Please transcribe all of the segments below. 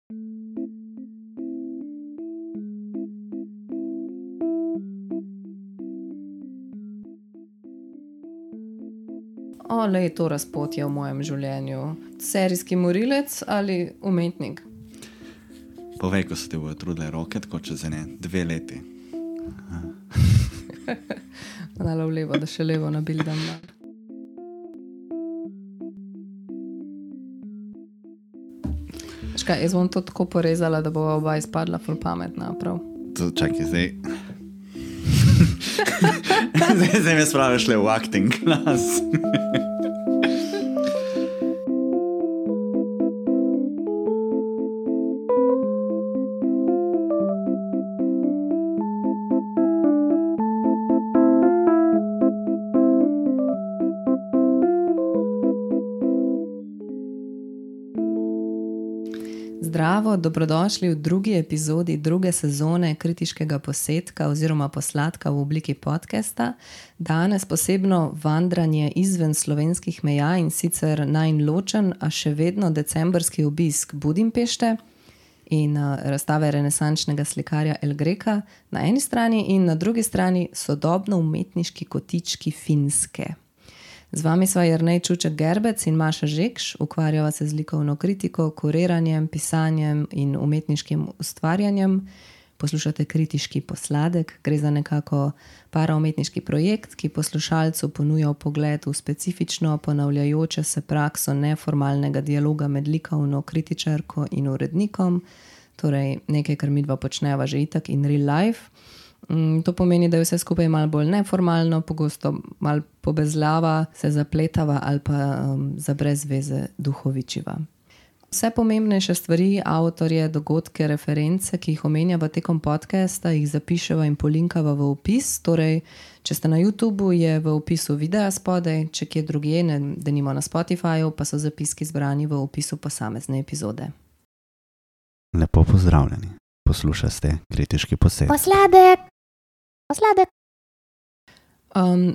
Ole je to razpotje v mojem življenju. Serijski morilec ali umetnik? Povej, ko se ti bojo trudile roke, tako čez 2 leti. Dala v levo, da še levo nabildam. Škaj, jaz bom to tako porezala, da bo oba izpadla ful pametna, prav? Čakaj, zdaj. zdaj me spraviš le v acting class. Zdravo, dobrodošli v drugi epizodi druge sezone Kritiškega posetka oziroma posladka v obliki podcasta. Danes posebno vandranje izven slovenskih meja in sicer najin ločen, a še vedno decembrski obisk Budimpešte in razstave renesančnega slikarja El Greca na eni strani in na drugi strani sodobno umetniški kotički Finske. Z vami sva Jernej Čuček-Gerbec in Maša Žekš, ukvarjava se z likovno kritiko, kuriranjem, pisanjem in umetniškim ustvarjanjem. Poslušate Kritiški posladek, gre za nekako paraumetniški projekt, ki poslušalcu ponuja pogled v specifično ponavljajoče se prakso neformalnega dialoga med likovno kritičarko in urednikom, torej nekaj, kar midva počneva že itak in real life. To pomeni, da je vse skupaj malo bolj neformalno, pogosto malo pobezlava, se zapletava ali pa za brez veze duhovičiva. Vse pomembnejše stvari, avtorje, dogodke, reference, ki jih omenjava tekom podcasta, jih zapiševa in polinkava v opis. Torej, če ste na YouTubeu, je v opisu videa spodaj, če kje drugje, denimo na Spotifyju, pa so zapiski zbrani v opisu posamezne epizode. Lepo pozdravljeni. Poslušate Kritiški posed. Posladek!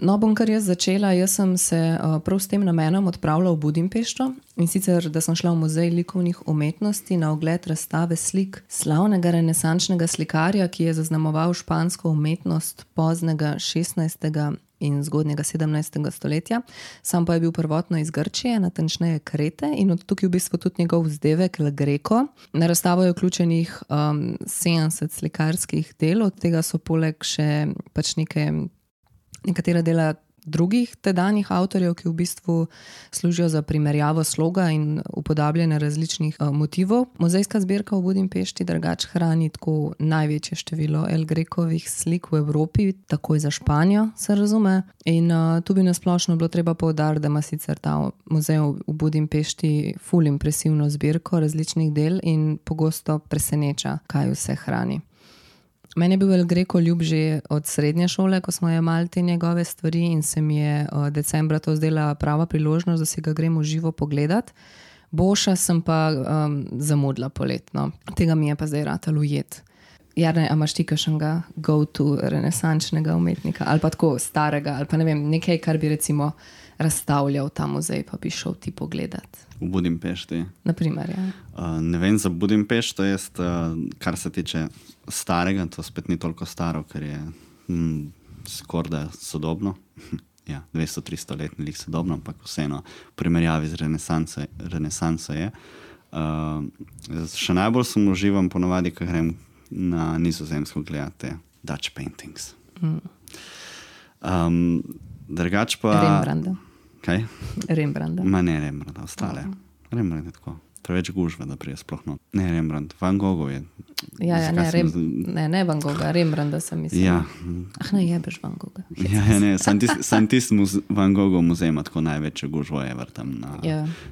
No, bom kar jaz začela. Jaz sem se prav s tem namenom odpravila v Budimpešto in sicer, da sem šla v Muzej likovnih umetnosti na ogled razstave slik slavnega renesančnega slikarja, ki je zaznamoval špansko umetnost poznega 16. in zgodnjega 17. stoletja. Sam pa je bil prvotno iz Grčije, natančneje Krete, in od tukaj v bistvu tudi njegov vzdevek El Greco. Na razstavo je vključenih 70 slikarskih del, od tega so poleg še pač nekatera dela drugih tedanjih avtorjev, ki v bistvu služijo za primerjavo sloga in upodabljanje različnih motivov. Muzejska zbirka v Budimpešti drugače hrani tako največje število El Grecovih slik v Evropi, takoj za Španijo, se razume. In tu bi nasplošno bilo treba poudariti, da ima sicer ta muzej v Budimpešti ful impresivno zbirko različnih del in pogosto preseneča, kaj vse hrani. Meni je bil El Greco ljub že od srednje šole, ko smo jemali te njegove stvari in se mi je decembra to zdela prava priložnost, da si ga gremo živo pogledati. Boša sem pa zamudila poletno. Tega mi je pa zdaj ratalo ujet. Jarne, a imaš ti kakšnega go-to renesančnega umetnika ali pa tako starega ali pa ne vem, nekaj, kar bi recimo razstavljal ta muzej, pa bi šel ti pogledati. V Budimpešti? Naprimer, ja. Ne vem za Budimpešto, kar se tiče starega, to spet ni toliko staro, ker je skorda sodobno. Ja, 200-300 let ni sodobno, ampak vseeno v primerjavi z renesanso je. Še najbolj sem uživam ponovadi, ko grem na Nizozemsko gledati Dutch paintings. Drugač pa... Rembrandta. Kaj? Rembrandta. Ma ne Rembrandta, ostale. Rembrandt je tako. Preveč gužve, da prije sploh no. Ne Rembrandt, Van Gogh je. Ne Van Gogha, Rembrandta sem mislil. Ja. Ne jebeš Van Gogha. Ja, ne, sam tisti Van Gogh muzej ima tako največje gužvo ever tam.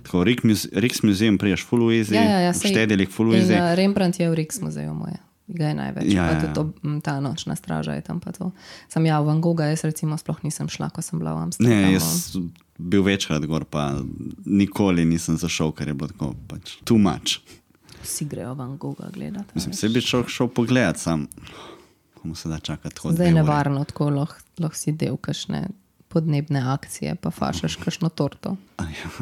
Tako Rijksmuseum priješ full easy, v Štedelik full easy. In Rembrandt je v Rijksmuseju moje. Ga je največ, pa tudi ta nočna straža je tam pa to. Sam Van Gogha, jaz recimo sploh nisem šla, ko sem bila v Amsterdamu. Ne, jaz bil večkrat gor, pa nikoli nisem zašel, ker je bilo tako pač too much. Vsi grejo Van Gogha gledati. Mislim, se bi šel pogledat sam, komu se da čakati. Zdaj je nevarno, tako lahko si del kakšne podnebne akcije, pa fašaš kakšno torto.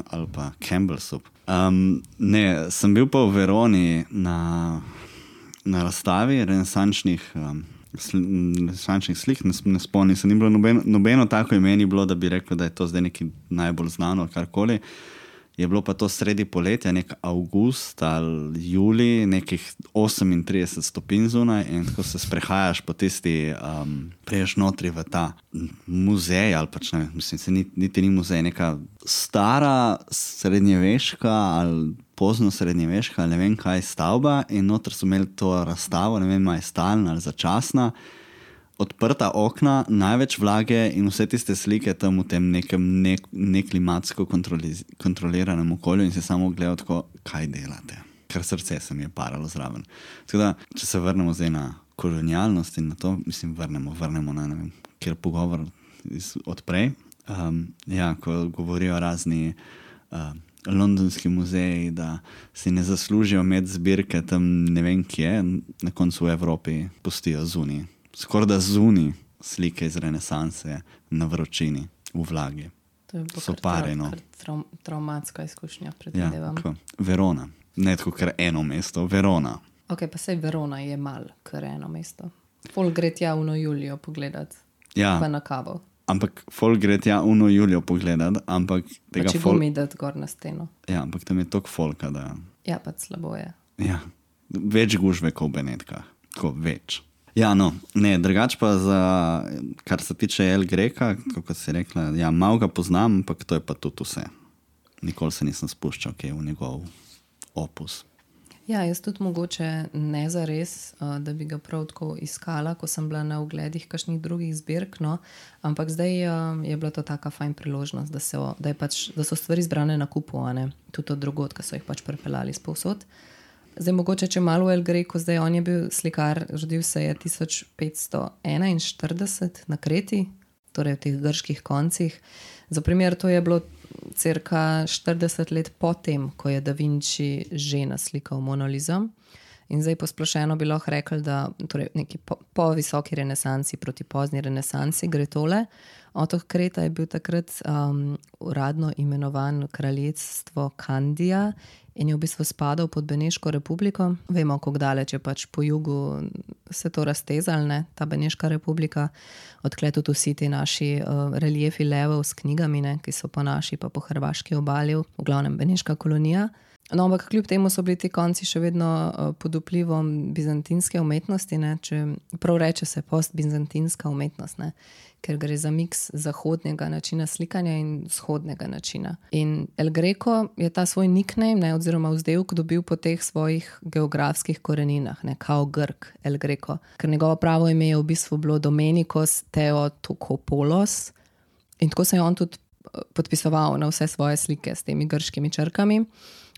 Ali pa Campbell soup. Ne, sem bil pa v Veroni na razstavi renesančnih slik, ne spomnim se, ni bilo nobeno tako ime ni bilo, da bi rekel, da je to zdaj nekaj najbolj znano, karkoli. Je bilo pa to sredi poletja, nek avgust ali julij, nekih 38 stopinj zunaj in ko se sprehajaš po tisti, preješ notri v ta muzej ali pač ne, mislim, se niti ni muzej, neka stara srednjeveška ali pozno srednjeveška, ne vem kaj stavba in noter so imeli to razstavo, ne vem, je stalna ali začasna, odprta okna, največ vlage in vse tiste slike tam v tem nekem neklimatsko kontroliranem okolju in se samo gledal tako, kaj delate. Kar srce se mi je paralo zraven. Tako da, če se vrnemo zdaj na kolonialnost in na to, mislim, vrnemo na, ne vem, kjer pogovor odprej. Ko govorijo razni londonski muzeji, da si ne zaslužijo imeti zbirke tam ne vem kje, na koncu v Evropi pustijo zunaj. Skoraj da zunaj slike iz renesanse na vročini, v vlagi. To je bilo traumatska izkušnja, predvidevam. Ja, Verona. Ne tako kar eno mesto, Verona. Ok, pa sej Verona je mal kar eno mesto. Folk gre tja uno Julijo pogledat, pa na kavo. Ampak folk gre tja uno Julijo pogledat, ampak tega folk... Pa če bom idet gor na steno. Ja, ampak tam je toliko folka, da... Ja, pa slabo je. Ja, več gužve kot v Benetkah. Tako več. Ja, no, ne, drugač pa kar se tiče El Greca, kako si rekla, ja, malo ga poznam, ampak to je pa tudi vse. Nikoli se nisem spuščal v njegov opus. Ja, jaz tudi mogoče ne zares, da bi ga prav tako iskala, ko sem bila na ogledih kakšnih drugih zbirk, no, ampak zdaj je bila to taka fajn priložnost, da so stvari zbrane na kupu, ne, tudi od drugod, ki so jih pač prepeljali spovsod. Zdaj mogoče, če malo v El Grecu, zdaj on je bil slikar, rodil se je 1541 na Kreti, torej v teh grških koncih. Za primer, to je bilo cirka 40 let potem, ko je Da Vinci že naslikal Mono Liso. In zdaj posplošeno bi lahko rekli, da torej neki po visoki renesansi proti pozni renesansi gre tole. Otok Kreta je bil takrat uradno imenovan kraljestvo Kandija in je v bistvu spadal pod Beneško republiko. Vemo, kako daleč je pač po jugu se to raztezalo, ne, ta Beneška republika. Odkle tudi vsi ti naši reliefi levov s knjigami, ne, ki so po naši pa po hrvaški obali, v glavnem Beneška kolonija. No, ampak kljub temu so bili ti konci še vedno pod vplivom bizantinske umetnosti, ne, če prav reče se postbizantinska umetnost, ne, ker gre za miks zahodnega načina slikanja in vzhodnega načina. In El Greco je ta svoj nickname, ne, oziroma vzdevek dobil po teh svojih geografskih koreninah, ne, kao Grk, El Greco. Ker njegovo pravo ime je v bistvu bilo Domenikos Theotokopoulos in tako se je on tudi podpisoval na vse svoje slike s temi grškimi črkami.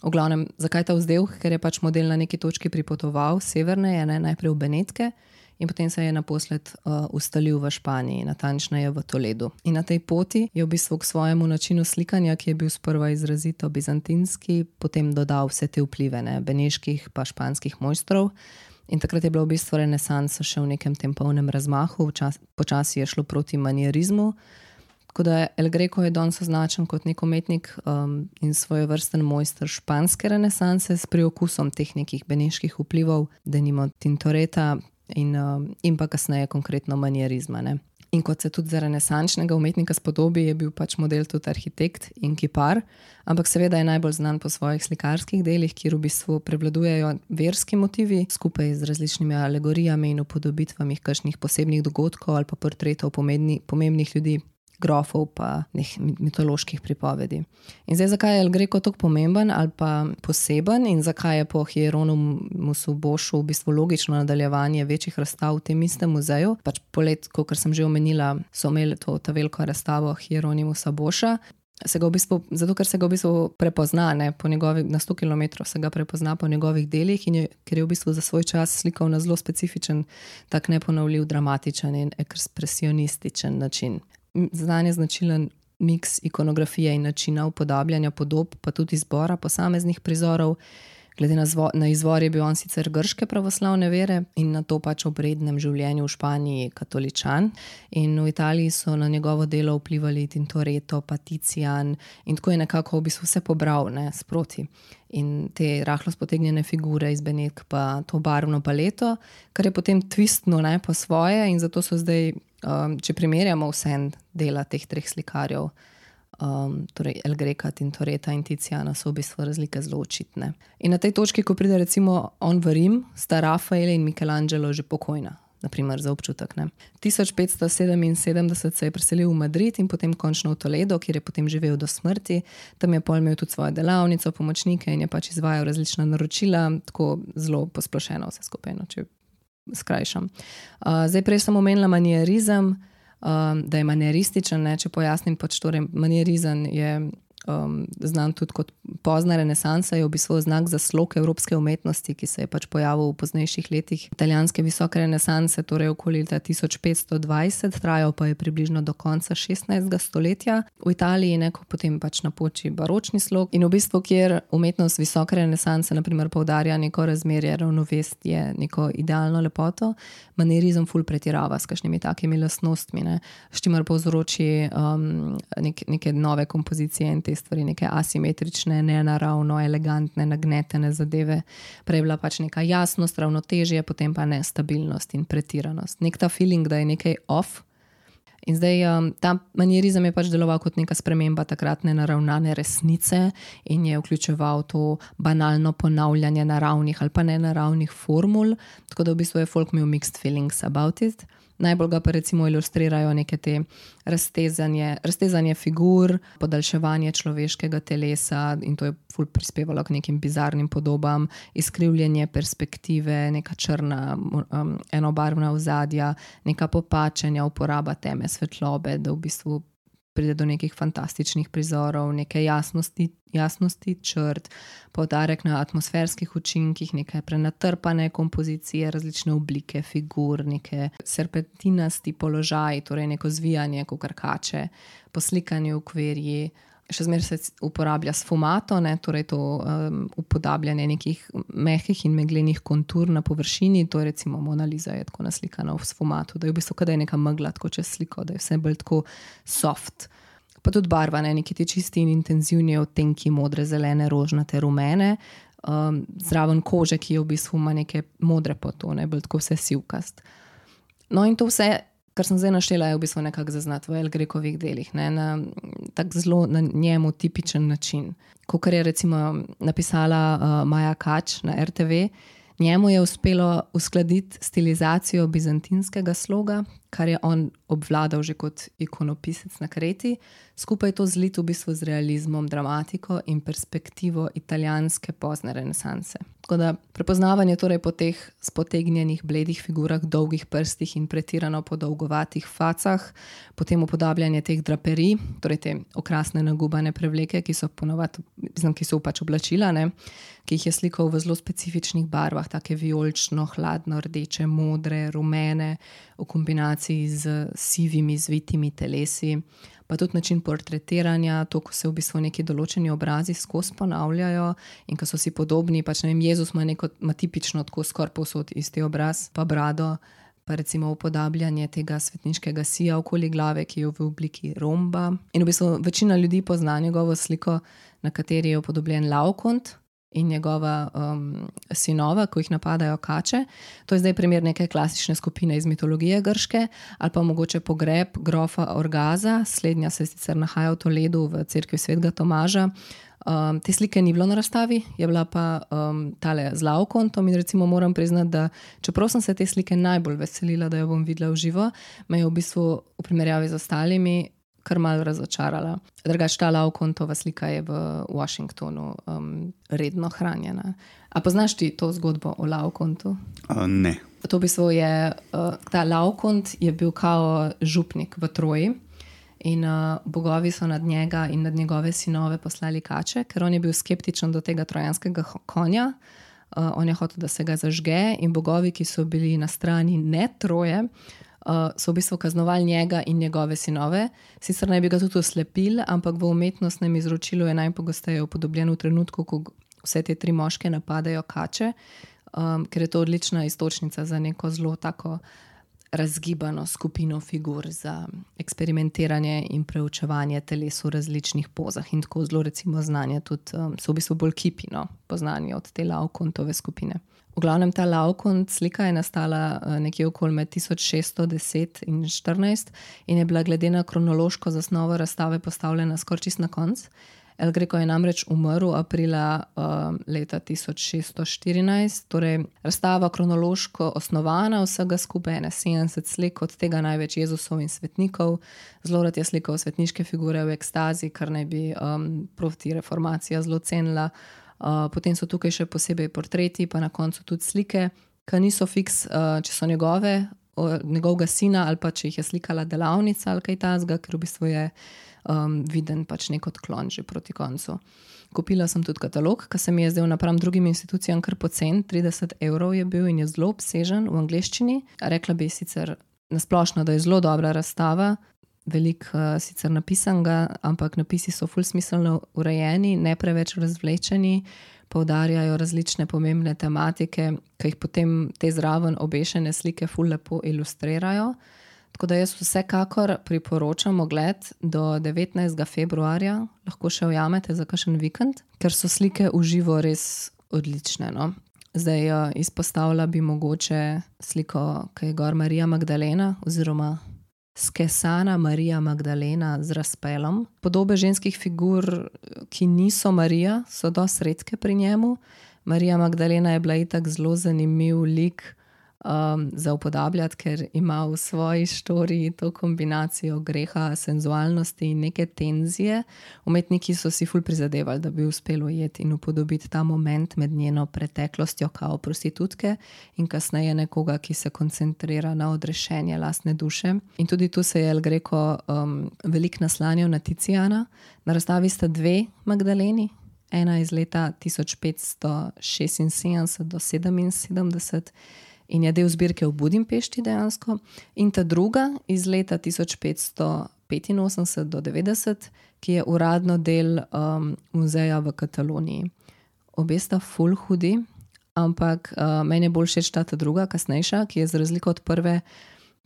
V glavnem, zakaj ta vzdevek? Ker je pač model na neki točki pripotoval severneje, ne, najprej v Benetke in potem se je naposled ustalil v Španiji, natančneje v Toledu. In na tej poti je v bistvu k svojemu načinu slikanja, ki je bil sprva izrazito bizantinski, potem dodal vse te vplive, ne, beneških pa španskih mojstrov. In takrat je bila v bistvu renesansa še v nekem tem polnem razmahu, počasi je šlo proti manierizmu. Tako da El Greco je danes označen kot nek umetnik in svojevrsten mojster španske renesanse s priokusom teh nekih beneških vplivov, denimo Tintoreta in pa kasneje konkretno manierizma, ne. In kot se tudi za renesančnega umetnika spodobi, je bil pač model tudi arhitekt in kipar, ampak seveda je najbolj znan po svojih slikarskih delih, kjer v bistvu prevladujejo verski motivi, skupaj z različnimi alegorijami in upodobitvami kakšnih posebnih dogodkov ali pa portretov pomembnih ljudi, grofov pa mitoloških pripovedi. In zdaj, zakaj je El Greco tako pomemben ali pa poseben in zakaj je po Hieronymusu Bošu v bistvu logično nadaljevanje večjih razstav v tem istem muzeju? Pač polet, kot sem že omenila, so imeli ta veliko razstavo Hieronymusa Boša. Zato, ker se ga v bistvu prepozna, ne, na 100 km se ga prepozna po njegovih delih in ker je v bistvu za svoj čas slikal na zelo specifičen, tak neponovljiv, dramatičen in ekspresionističen način. Znan je značilen miks ikonografije in načina upodabljanja podob, pa tudi izbora posameznih prizorov. Glede na izvor je bil on sicer grške pravoslavne vere in na to pač ob rednem življenju v Španiji katoličan. In v Italiji so na njegovo delo vplivali Tintoretto, pa Tizian in tako je nekako v bistvu vse pobral, ne, sproti. In te rahlo spotegnjene figure iz Benetk pa to barvno paleto, kar je potem twistno, ne, po svoje in zato so zdaj, če primerjamo vse dela teh treh slikarjev, torej El Greca, Tintoretta in Tiziana so v bistvu razlike zelo očitne. In na tej točki, ko pride recimo on v Rim, sta Rafael in Michelangelo že pokojna, naprimer za občutek. Ne. 1577 se je preselil v Madrid in potem končno v Toledo, kjer je potem živel do smrti. Tam je pol imel tudi svojo delavnico, pomočnike in je pač izvajal različna naročila, tako zelo posplošeno vse skupaj, no, če skrajšam. Zdaj prej sem omenila manierizem, da je manierističen, ne, če pojasnim, pač torej manierizem je znan tudi kot pozna renesansa, je v bistvu znak za slog evropske umetnosti, ki se je pač pojavil v poznejših letih italijanske visoke renesanse, torej okoli leta 1520, trajal pa je približno do konca 16. stoletja v Italiji, neko potem pač napoči baročni slog in v bistvu, kjer umetnost visoke renesanse naprimer poudarja neko razmerje, ravnovesje, neko idealno lepoto, manierizem ful pretirava s kakšnimi takimi lastnostmi, ne, s čimer povzroči neke nove kompozicije in te stvari, neke asimetrične, nenaravno, elegantne, nagnetene zadeve. Prej je bila pač neka jasnost, ravnotežje, potem pa nestabilnost in pretiranost. Nek ta feeling, da je nekaj off. In zdaj ta manierizem je pač deloval kot neka sprememba takratne naravnane resnice in je vključeval to banalno ponavljanje naravnih ali pa nenaravnih formul, tako da v bistvu je folk imel mixed feelings about it. Najbolj ga pa recimo ilustrirajo neke te raztezanje figur, podaljševanje človeškega telesa in to je ful prispevalo k nekim bizarnim podobam, izkrivljenje perspektive, neka črna enobarvna ozadja, neka popačenja, uporaba teme, svetlobe, da v bistvu pride do nekih fantastičnih prizorov, neke jasnosti črt, poudarek na atmosferskih učinkih, neke prenatrpane kompozicije, različne oblike figur, neke serpentinasti položaji, torej neko zvijanje kakor kače, poslikanje v okvirji. Še zmeraj se uporablja sfumato, ne, torej to upodabljanje nekih mehkih in meglenih kontur na površini, to je recimo Mona Lisa je tako naslikana v sfumatu, da je v bistvu kada je neka megla tako čez sliko, da je vse bolj tako soft. Pa tudi barva, ne, neki ti čisti in intenzivni odtenki modre, zelene, rožnate, rumene, zraven kože, ki je v bistvu ima neke modre potone, bolj tako vse sivkast. No in to vse, kar sem zdaj naštela, je v bistvu nekako zaznati v El Grecovih delih, ne, na tak zelo na njemu tipičen način. Kakor je recimo napisala Maja Kač na RTV, njemu je uspelo uskladiti stilizacijo bizantinskega sloga, kar je on obvladal že kot ikonopisec na Kreti, skupaj to zlit v bistvu z realizmom, dramatiko in perspektivo italijanske pozne renesanse. Tako da prepoznavanje torej po teh spotegnjenih bledih figurah, dolgih prstih in pretirano podolgovatih facah, potem upodabljanje teh draperij, torej te okrasne nagubane prevleke, ki so pač oblačila, ne, ki jih je slikal v zelo specifičnih barvah, take vijolično, hladno, rdeče, modre, rumene, v kombinaciji z sivimi, zvitimi telesi, pa tudi način portretiranja, to, ko se v bistvu neki določeni obrazi skozi ponavljajo in ko so si podobni, pač ne vem, Jezus ima tipično tako skoraj povsod isti obraz, pa brado, pa recimo upodabljanje tega svetniškega sija okoli glave, ki je v obliki romba. In v bistvu večina ljudi pozna njegovo sliko, na kateri je upodobljen Laokont in njegova sinova, ko jih napadajo kače. To je zdaj primer neke klasične skupine iz mitologije grške, ali pa mogoče pogreb grofa Orgaza, slednja se sicer nahaja v Toledu v cerkvi svetega Tomaža. Te slike ni bilo na razstavi, je bila pa tale z Laokontom in recimo moram priznati, da čeprav sem se te slike najbolj veselila, da jo bom videla v živo, me je v bistvu v primerjavi z ostalimi kar malo razočarala. Drugače ta Laokontova slika je v Washingtonu redno hranjena. A poznaš ti to zgodbo o Laokontu? Ne. To v bistvu je, ta Laokont je bil kao župnik v Troji in bogovi so nad njega in nad njegove sinove poslali kače, ker on je bil skeptičen do tega trojanskega konja. On je hotel, da se ga zažge in bogovi, ki so bili na strani ne Troje, so v bistvu kaznovali njega in njegove sinove. Sicer naj bi ga tudi oslepili, ampak v umetnostnem izročilu je najpogosteje upodobljen v trenutku, ko vse te 3 moške napadajo kače, ker je to odlična iztočnica za neko zelo tako razgibano skupino figur za eksperimentiranje in preučevanje teles v različnih pozah in tako zelo recimo znanje tudi, so v bistvu bolj kipi, no, poznani od te Laokontove skupine. V glavnem ta Laokont slika je nastala nekje okoli med 1610 in 14 in je bila glede na kronološko zasnovo razstave postavljena skoraj čist na konc. El Greco je namreč umrl aprila leta 1614, torej razstava kronološko osnovana, vsega skupaj 70 slik, od tega največ Jezusov in svetnikov, zelo rad je slikal svetniške figure v ekstazi, kar naj bi proti reformacija zelo cenila. Potem so tukaj še posebej portreti, pa na koncu tudi slike, ki niso fiks, če so njegovega sina ali pa če jih je slikala delavnica ali kaj tazga, ker v bistvu je viden pač nek odklon že proti koncu. Kupila sem tudi katalog, ki se mi je zdel napram drugim institucijam kar pocen, 30 € je bil in je zelo obsežen v angleščini. Rekla bi sicer nasplošno, da je zelo dobra razstava, veliko sicer napisanega, ampak napisi so ful smiselno urejeni, ne preveč razvlečeni, poudarjajo različne pomembne tematike, ki jih potem te zraven obešene slike ful lepo ilustrirajo. Tako da jaz vsekakor priporočam ogled do 19. februarja, lahko še ujamete za kakšen vikend, ker so slike v živo res odlične, no. Zdaj izpostavila bi mogoče sliko, ki je gor Marija Magdalena oziroma skesana Marija Magdalena z razpelom. Podobe ženskih figur, ki niso Marija, so dosti redke pri njemu. Marija Magdalena je bila itak zelo zanimiv lik za upodabljati, ker ima v svoji štoriji to kombinacijo greha, senzualnosti in neke tenzije. Umetniki so si ful prizadevali, da bi uspeli ujeti in upodobiti ta moment med njeno preteklostjo kao prostitutke in kasneje nekoga, ki se koncentrira na odrešenje lastne duše. In tudi tu se je El Greco veliko naslanjal na Tiziana. Na razstavi sta 2 Magdaleni, ena iz leta 1576 do 77 in je del zbirke v Budimpešti dejansko, in ta druga iz leta 1585 do 90, ki je uradno del muzeja v Kataloniji. Obe sta ful hudi, ampak meni je bolj všeč ta druga, kasnejša, ki je za razliko od prve,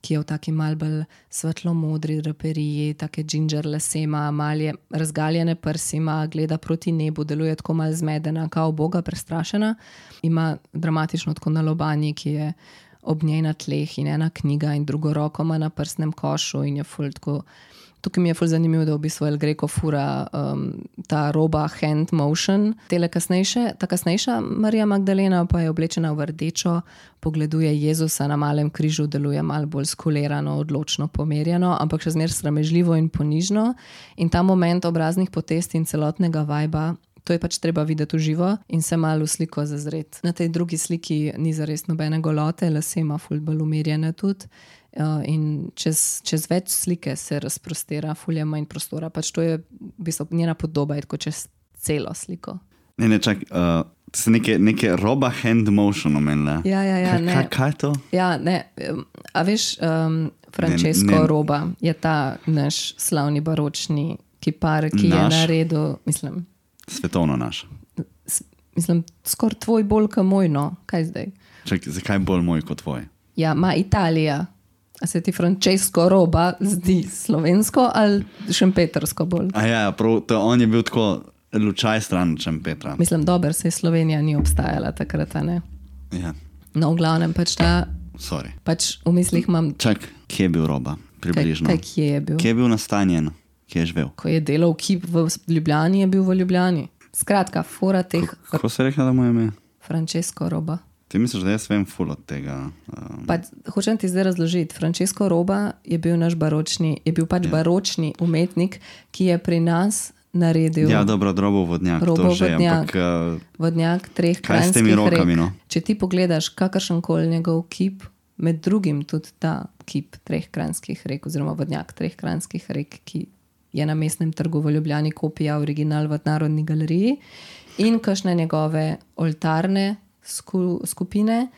ki je v taki mal bolj svetlo-modri draperiji, take ginger lasema, malje razgaljene prsima, gleda proti nebu, deluje tako mal zmedena, kao boga prestrašena. Ima dramatično tako na lobanji, ki je ob njej na tleh in ena knjiga in drugo roko ima na prsnem košu in je ful tako. Tukaj mi je ful zanimivo, da v bistvu El Greco fura ta roba hand motion. Ta kasnejša Marija Magdalena pa je oblečena v rdečo, pogleduje Jezusa na malem križu, deluje malo bolj skulirano, odločno, pomerjeno, ampak še zmeraj sramežljivo in ponižno. In ta moment obraznih potez in celotnega vajba, to je pač treba videti v živo in se malo v sliko zazreti. Na tej drugi sliki ni zares nobene golote, lase ima ful bolj umirjene tudi. In čez več slike se razprostira, ful je manj prostora. Pač to je v bistvu njena podoba, je tako čez celo sliko. Ne, čak, to se neke roba hand motion omenila. Ja, ne. Kaj je to? Ja, ne, a veš, Francesco Roba je ta naš slavni baročni kipar, ki je naredil, mislim... Svetovno naš. Mislim, skoraj tvoj bolj kot moj, no. Kaj zdaj? Čak, zakaj bolj moj kot tvoj? Ja, ma Italija. A se ti Francesco Roba zdi slovensko ali šempetrsko bolj? A ja, prav, on je bil tako lučaj stran Šempetra. Mislim, dober, se Slovenija ni obstajala takrat, a ne? Ja. No, v glavnem pač ta... Sorry. Pač v mislih imam... Čak, kje je bil Roba? Približno. Kje je bil? Kje je bil nastanjen? Kje je živel? Ko je delal kip v Ljubljani, je bil v Ljubljani. Skratka, fora teh... Kako se rekla, da mu je ime? Francesco Roba. Ti misliš, da jaz vem ful od tega? Hočem ti zdaj razložiti. Francesco Roba je bil naš baročni, baročni umetnik, ki je pri nas naredil... Ja, dobro, Robov vodnjak. Robov to že, vodnjak. Ampak, vodnjak 3 kaj s temi rokami, no? Če ti pogledaš kakršenkoli njegov kip, med drugim tudi ta kip 3 kranjskih rek, oziroma vodnjak 3 kranjskih rek, ki je na Mestnem trgu v Ljubljani kopija, original v Narodni galeriji, in kakšne njegove oltarne skupine,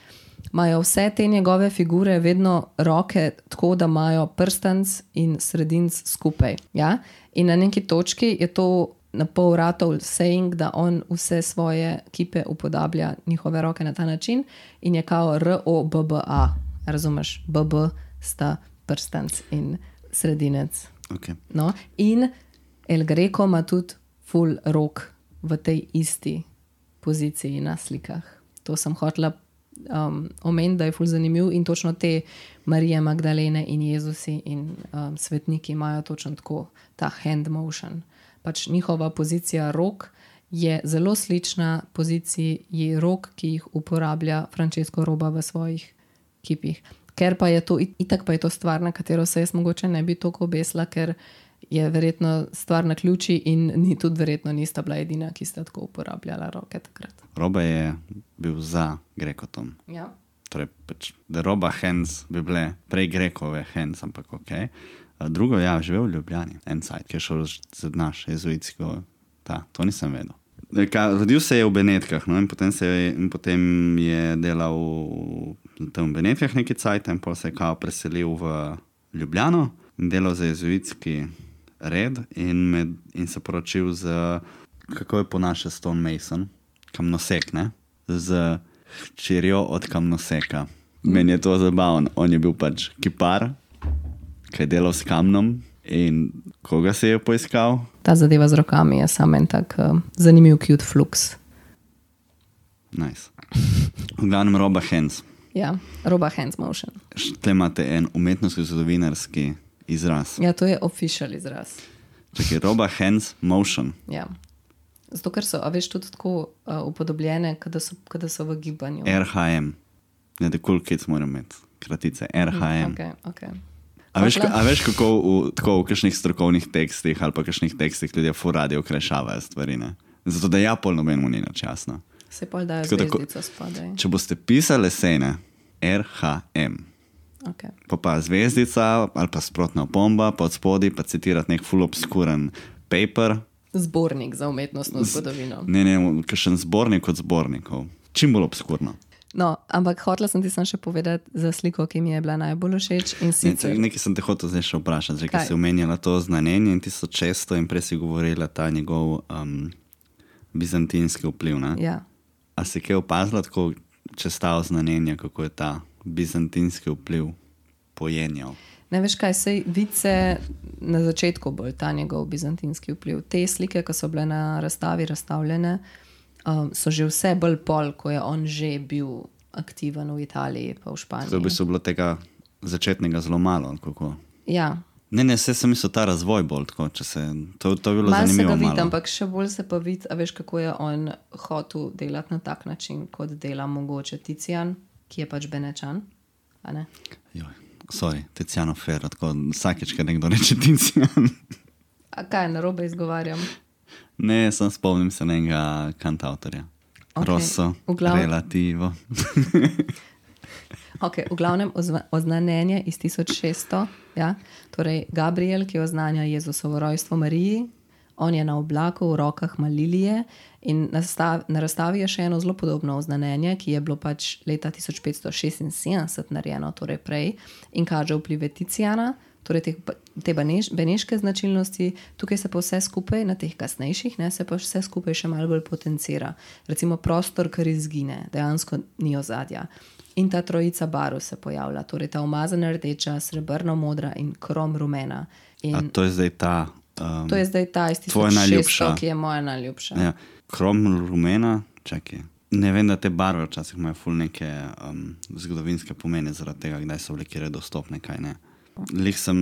imajo vse te njegove figure vedno roke tako, da imajo prstanc in sredinc skupaj. Ja? In na neki točki je to na pol ratov saying, da on vse svoje kipe upodablja njihove roke na ta način in je kao ROBBA. Razumeš? BB sta prstanc in sredinec. Okay. No? In El Greco ima tudi full rok v tej isti poziciji na slikah. To sem hotela omeniti, da je full zanimiv in točno te Marije Magdalene in Jezusi in svetniki imajo točno tako ta hand motion. Pač njihova pozicija rok je zelo slična poziciji rok, ki jih uporablja Francesco Roba v svojih kipih. Ker pa je to, itak pa je to stvar, na katero se jaz mogoče ne bi toliko obesla, ker je verjetno stvar na ključi in tudi verjetno nista bila edina, ki sta tako uporabljala roke takrat. Roba je bil za Grekotom. Ja. Torej, pač, da Roba hands bi bile prej Grekove hands, ampak ok. Drugo, ja, živel v Ljubljani, en sajt, ki je šel za naš jezuitsko, to nisem vedel. Rodil se je v Benetkah, no, in potem je delal tam v Benetkah neki cajt, in potem se je kao preselil v Ljubljano in delal za jezuitski red in se poročil z, kako je po naše Stone Mason, kamnosek, ne? Z hčerjo od kamnoseka. Meni je to zabavno. On je bil pač kipar, ki je delal s kamnom in koga se je poiskal? Ta zadeva z rokami je samo en tak zanimiv cute flux. Nice. V glavnem Roba hands. Ja, Roba hands motion. Tle imate en umetnostno-zgodovinarski izraz. Ja, to je official izraz. Čakaj, Roba hands motion. Ja. Zato, ker so, a veš, tudi tako upodobljene, kada so v gibanju. RHM. Ne, the cool kids moram imeti. Kratice. RHM. Ok. A veš, kako v kakšnih strokovnih tekstih ali pa kakšnih tekstih ljudje furadi okrajšavajo stvari, ne? Zato, da ja pol nobenemu ni nič jasno. Se pol dajo zvezdico spodaj. Če boste pisali esejne, RHM. Okay. Pa zvezdica ali pa sprotna opomba, pa od spodaj pa citirati nek full obskuren paper. Zbornik za umetnostno zgodovino. Ne, kakšen zbornik od zbornikov. Čim bolj obskurno. No, ampak hotela sem ti še povedati za sliko, ki mi je bila najbolj všeč. Nekaj sem te hotel zdaj še vprašati, že, ki si omenjala to znanenje in 1600 in prej si govorila ta njegov bizantinski vpliv. Ne? Ja. A si kaj opazila, tako, če sta znanenja, kako je ta bizantinski vpliv pojenjal? Ne veš kaj, sej vice na začetku bolj ta njegov bizantinski vpliv. Te slike, ko so bile na razstavi razstavljene, so že vse bolj pol, ko je on že bil aktiven v Italiji pa v Španiji. To bi se bilo tega začetnega zelo malo, kako? Ja. Ne, vse sem mislil ta razvoj bolj, tako, če se, to je bilo mal zanimivo malo. Mal se ga vidi, ampak še bolj se pa vidi, a veš, kako je on hotel delati na tak način, kot dela mogoče Tizian, ki je pač Benečan, a ne? Joj, sorry, Tiziano Ferro, tako vsakeč, kad nekdo reče Tizian. A kaj, narobe izgovarjam? Ne, sem spomnim se enega kantautorja. Okay. Rosso, Relativo. Ok, v glavnem oznanjenje iz 1600, ja? Torej Gabriel, ki oznanja Jezusovo rojstvo Mariji, on je na oblaku, v rokah ima lilije in na razstavi je še eno zelo podobno oznanjenje, ki je bilo pač leta 1576 narejeno, torej prej, in kaže vplive Tiziana, torej te beneške značilnosti, tukaj se pa vse skupaj, na teh kasnejših, ne, se pa vse skupaj še malo bolj potencira. Recimo prostor, kar izgine, dejansko ni ozadja. In ta trojica barv se pojavlja, torej ta umazana rdeča, srebrno modra in krom rumena. A to je zdaj ta... to je zdaj ta iz 1600, ki je moja najljubša. Ja, krom rumena, čakaj. Ne vem, da te barve včasih imajo ful neke zgodovinske pomene zaradi tega, kdaj so bile kjer dostopne, kaj ne. Lih sem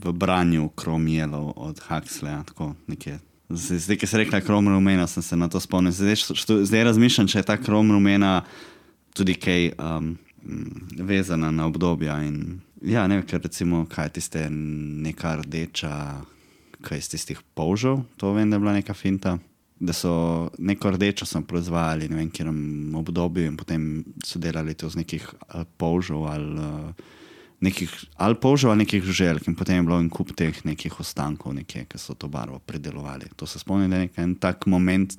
v branju krom jelov od Huxleya, tako nekje. Zdaj, ki se rekla krom rumena, sem se na to spomnil. Zdaj razmišljam, če je ta krom rumena tudi kaj vezana na obdobja. In, ja, ne vem, ker recimo, kaj tiste neka rdeča, kaj iz tistih polžev, to vem, da je bila neka finta, da so neko rdečo sem proizvajali, ne vem, kjerom obdobju in potem so delali to z nekih polžev ali polžev ali nekih žuželk in potem je bilo en kup teh nekih ostankov nekje, ki so to barvo predelovali. To se spomnim, da je en tak moment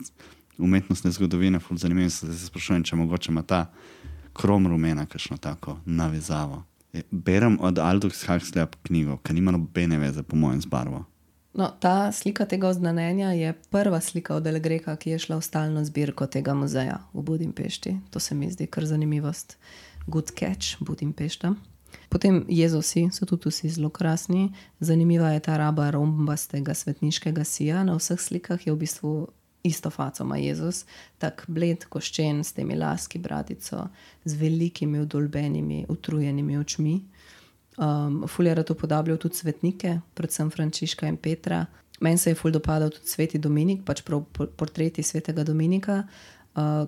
umetnostne zgodovine, ful zanimivo, se sprašujem, če mogoče ima ta krom rumena kakšno tako navezavo. Berem od Aldous Huxleya knjigo, ki nima nobene veze po mojem z barvo. No, ta slika tega oznanjenja je prva slika od El Greca, ki je šla v stalno zbirko tega muzeja v Budimpešti. To se mi zdi kar zanimivost. Good catch, Budimpešta. Potem Jezusi so tudi vsi zelo krasni. Zanimiva je ta raba rombastega svetniškega sija. Na vseh slikah je v bistvu isto faco ima Jezus. Tak bled, koščen, s temi laski, bradico, z velikimi, udolbenimi, utrujenimi očmi. Ful je rad upodabljal tudi svetnike, predvsem Frančiška in Petra. Meni se je ful dopadal tudi sveti Dominik, pač prav portreti svetega Dominika,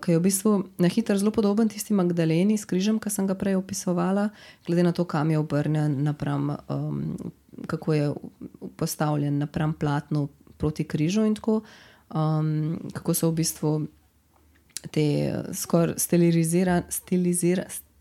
ki je v bistvu na hitro zelo podoben tisti Magdaleni s križem, ki sem ga prej opisovala, glede na to, kam je obrnjen napram, kako je postavljen napram platnu proti križu in tako, kako so v bistvu te skoraj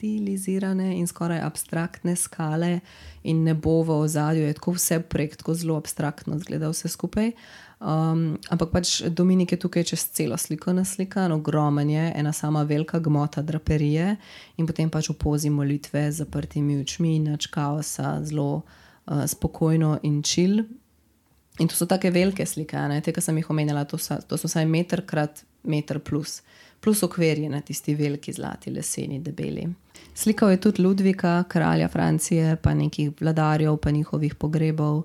stilizirane in skoraj abstraktne skale in nebo v ozadju, je tako vse prek, tako zelo abstraktno zgleda vse skupaj. Ampak pač Dominik je tukaj čez celo sliko naslikan, ogromen je, ena sama velika gmota draperije in potem pač v pozi molitve z zaprtimi očmi, nič kaosa, zelo spokojno in chill. In to so take velike slike, ne? Te, ki sem jih omenjala, to so vsaj meter krat meter plus okvirje, tisti veliki zlati, leseni, debeli. Slikal je tudi Ludvika, kralja Francije, pa nekih vladarjev, pa njihovih pogrebov,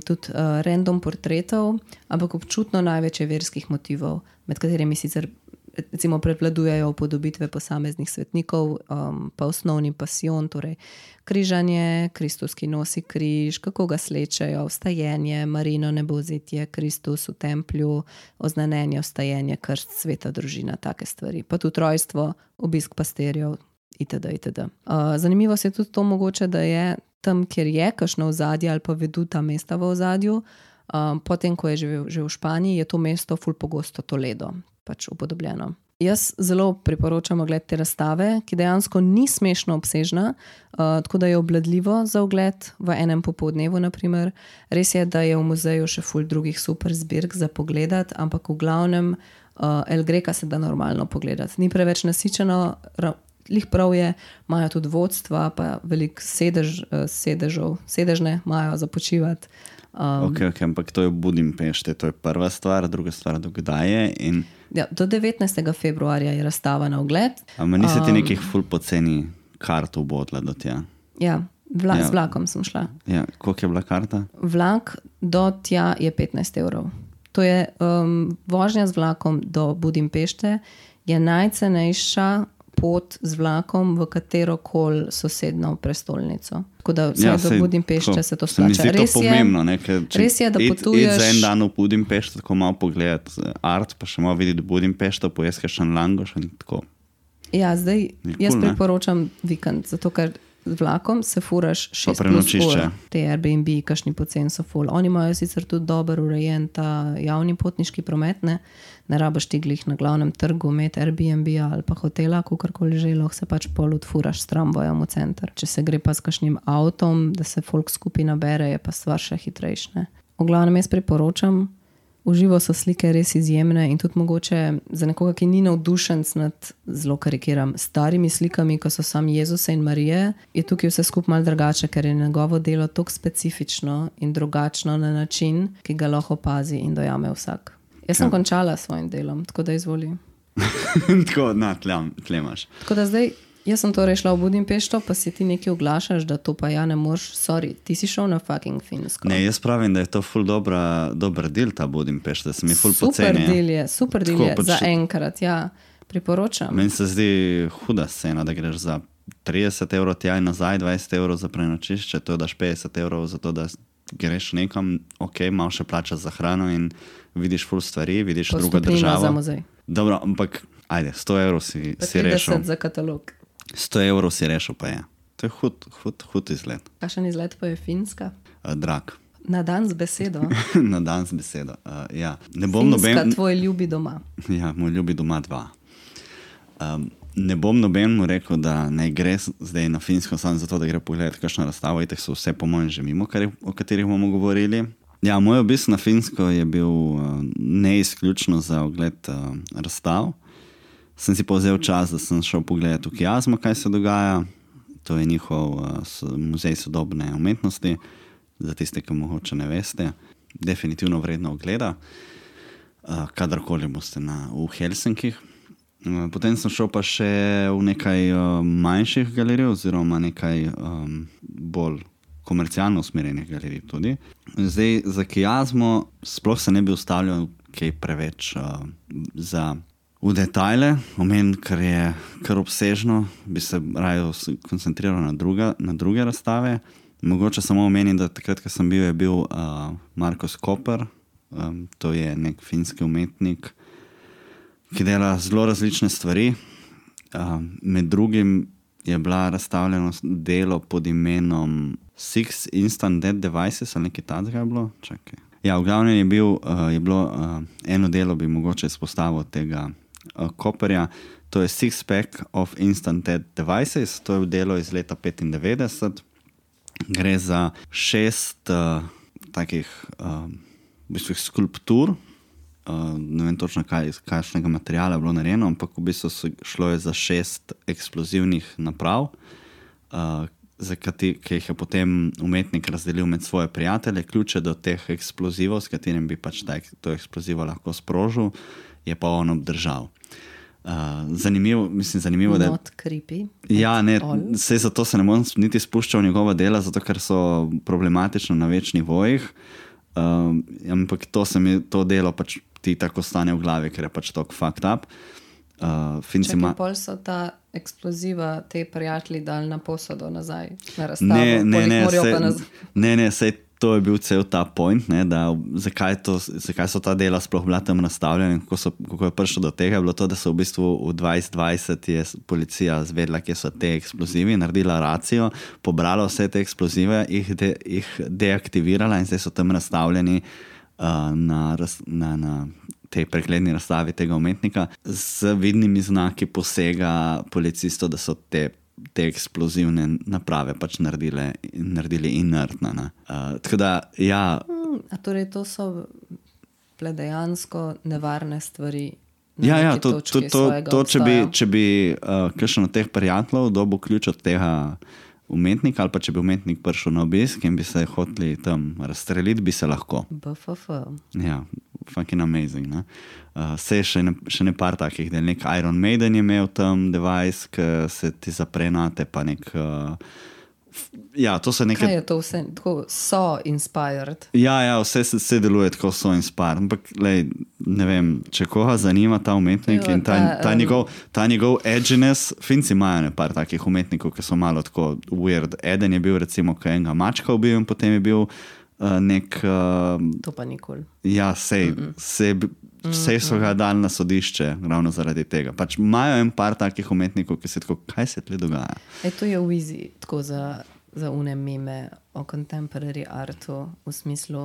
tudi random portretov, ampak občutno največ verskih motivov, med katerimi sicer recimo prevladujejo upodobitve posameznih svetnikov, pa osnovni pasijon, torej križanje, Kristus, ki nosi križ, kako ga slečejo, vstajenje, Marino nebovzetje, Kristus v templju, oznanjenje, vstajenje, krst, sveta družina, take stvari. Pa tudi rojstvo, obisk pastirjev, itd. Zanimivo se je tudi to mogoče, da je tam, kjer je kakšno ozadje ali pa veduta mesta v ozadju, potem, ko je živel že v Španiji, je to mesto ful pogosto Toledo, pač upodobljeno. Jaz zelo priporočam ogled te razstave, ki dejansko ni smešno obsežna, tako da je obvladljivo za ogled v enem popoldnevu, naprimer. Res je, da je v muzeju še ful drugih super zbirk za pogledati, ampak v glavnem El Greca se da normalno pogledati. Ni preveč nasičeno, lih prav je, imajo tudi vodstva, pa veliko sedežne imajo za počivati. Okay, ampak to je v Budimpešti, to je prva stvar, druga stvar, dokdaj je? Ja, do 19. februarja je razstava na ogled. Ampak nisi ti nekih ful poceni kart ubodla do tja? Ja, z vlakom sem šla. Ja, koliko je bila karta? Vlak do tja je 15 €. To je vožnja z vlakom do Budimpešte, je najcenejša pot z vlakom v katerokoli sosedno prestolnico. Tako da vse do Budimpešte se to splača. Se mi zdi to pomembno, res je, da potuješ... za en dan v Budimpešto, tako malo pogledati art, pa še malo videti Budimpešto, pojesti še langoš in tako. Ja, zdaj jaz priporočam vikend, zato ker z vlakom se furaš 6+ ur. Te Airbnb, kakšni poceni so ful. Oni imajo sicer tudi dober urejen ta javni potniški promet, ne rabaš ti glih na glavnem trgu imeti Airbnb ali pa hotela, kakorkoli že, lahko se pač pol odfuraš s tramvajem v center. Če se gre pa s kakšnim avtom, da se folk skupaj nabere, je pa stvar še hitrejšne. V glavnem jaz priporočam, uživo so slike res izjemne in tudi mogoče za nekoga, ki ni navdušenc nad, zelo karikiram, starimi slikami, ko so sam Jezuse in Marije, je tukaj vse skupaj malo drugače, ker je njegovo delo tako specifično in drugačno na način, ki ga lahko opazi in dojame vsak. Jaz sem končala s svojim delom, tako da izvoli. Tako, tlemaš. Tako da zdaj, jaz sem torej šla v Budimpešto, pa si ti nekaj oglašaš, da to pa ja ne moreš, sorry, ti si šel na fucking Finsko. Ne, jaz pravim, da je to ful dober del ta Budimpešta, da se mi ful poceni. Super del je, za enkrat, ja, priporočam. Meni se zdi huda scena, da greš za 30 € tja in nazaj, 20 € za prenočišče, to daš 50 € za to, da greš nekam, ok, malo še plačaš za hrano in vidiš ful stvari, vidiš drugo državo. Za muzej. Dobro, ampak ajde, 100 € si rešil. 50 za katalog. 100 € si rešil pa je. To je hud izgled. Kakšen izgled pa je Finska? Drag. Na dan z besedo. Na dan z besedo, ja. Finska, tvoj ljubi doma. Ja, moj ljubi doma 2. Ne bom nobenemu rekel, da ne gre zdaj na Finsko samo zato, da gre pogledati kakšno razstavo, itak so vse po mojem že mimo, o katerih bomo govorili. Ja, moj obisk na Finsko je bil ne izključno za ogled razstav. Sem si pa vzel čas, da sem šel pogledati v Kiazmo, kaj se dogaja. To je njihov muzej sodobne umetnosti, za tiste, ki mogoče ne veste. definitivno vredno ogleda, kadarkoli boste v Helsinkih. Potem sem šel pa še v nekaj manjših galerij oziroma nekaj bolj komercialno usmerjenih galerij tudi. Zdaj, za Kiasmo sploh se ne bi ustavljal kaj preveč v detajle, ker je kar obsežno, bi se raje koncentriral na druge razstave. Mogoče samo omenim, da takrat, ko sem bil, je bil Markus Koper, to je nek finski umetnik, ki dela zelo različne stvari. Med drugim je bila razstavljeno delo pod imenom Six Instant Dead Devices, ali nekaj takega je bilo. Čakaj. Ja, v glavnem je bilo eno delo, bi mogoče izpostavil tega Koperja. To je Six Pack of Instant Dead Devices, to je delo iz leta 1995. Gre za 6 takih v bistvu skulptur. Ne vem točno, kakšnega materiala je bilo narejeno, ampak v bistvu šlo je za 6 eksplozivnih naprav, ki jih je potem umetnik razdelil med svoje prijatelje. Ključe do teh eksplozivov, s katerim bi pač to eksplozivo lahko sprožil, je pa on obdržal. Zanimivo, da je... Not creepy. Ja, ne, saj zato se ne bom niti spuščal v njegova dela, zato ker so problematično na več nivojih. Ampak to delo pač ti tako stane v glavi, ker je pač tako fucked up. Čakaj, pol so ta eksploziva te prijatelji dali na posodo nazaj, na razstavo. Ne, sej to je bil cel ta point, ne, da zakaj so ta dela sploh bila tam nastavljena in kako je prišlo do tega, je bilo to, da so v bistvu v 2020 je policija zvedla, kje so te eksplozivi, naredila racijo, pobrala vse te eksplozive, jih deaktivirala in zdaj so tam nastavljeni na tej pregledni razstavi tega umetnika z vidnimi znaki posega policistov, da so te eksplozivne naprave pač naredili inertne. Tako da, ja. A torej to so dejansko nevarne stvari na neki točki svojega obstoja? Če bi kakšen od teh prijateljev dobil ključ od tega umetnika, ali pa če bi umetnik prišel na obisk in bi se hoteli tam razstreliti, bi se lahko. BFF. Ja, fucking amazing, ne? Sej še ne par takih, da nek Iron Maiden je imel tam device, ki se ti zapre nate, pa nek... Ja, to se nekaj... Kaj je to vse? Tako so inspired? Ja, vse deluje tako so inspired. Ampak, ne vem, če koga zanima ta umetnik in ta njegov edginess, Finci imajo par takih umetnikov, ki so malo tako weird. Eden je bil recimo, ko enega mačka ubil in potem je bil nek... To pa nikoli. Ja, sej so ga dali na sodišče ravno zaradi tega. Pač imajo en par takih umetnikov, ki se tako, kaj se tle dogaja? To je v easy, tako za une meme o contemporary artu, v smislu,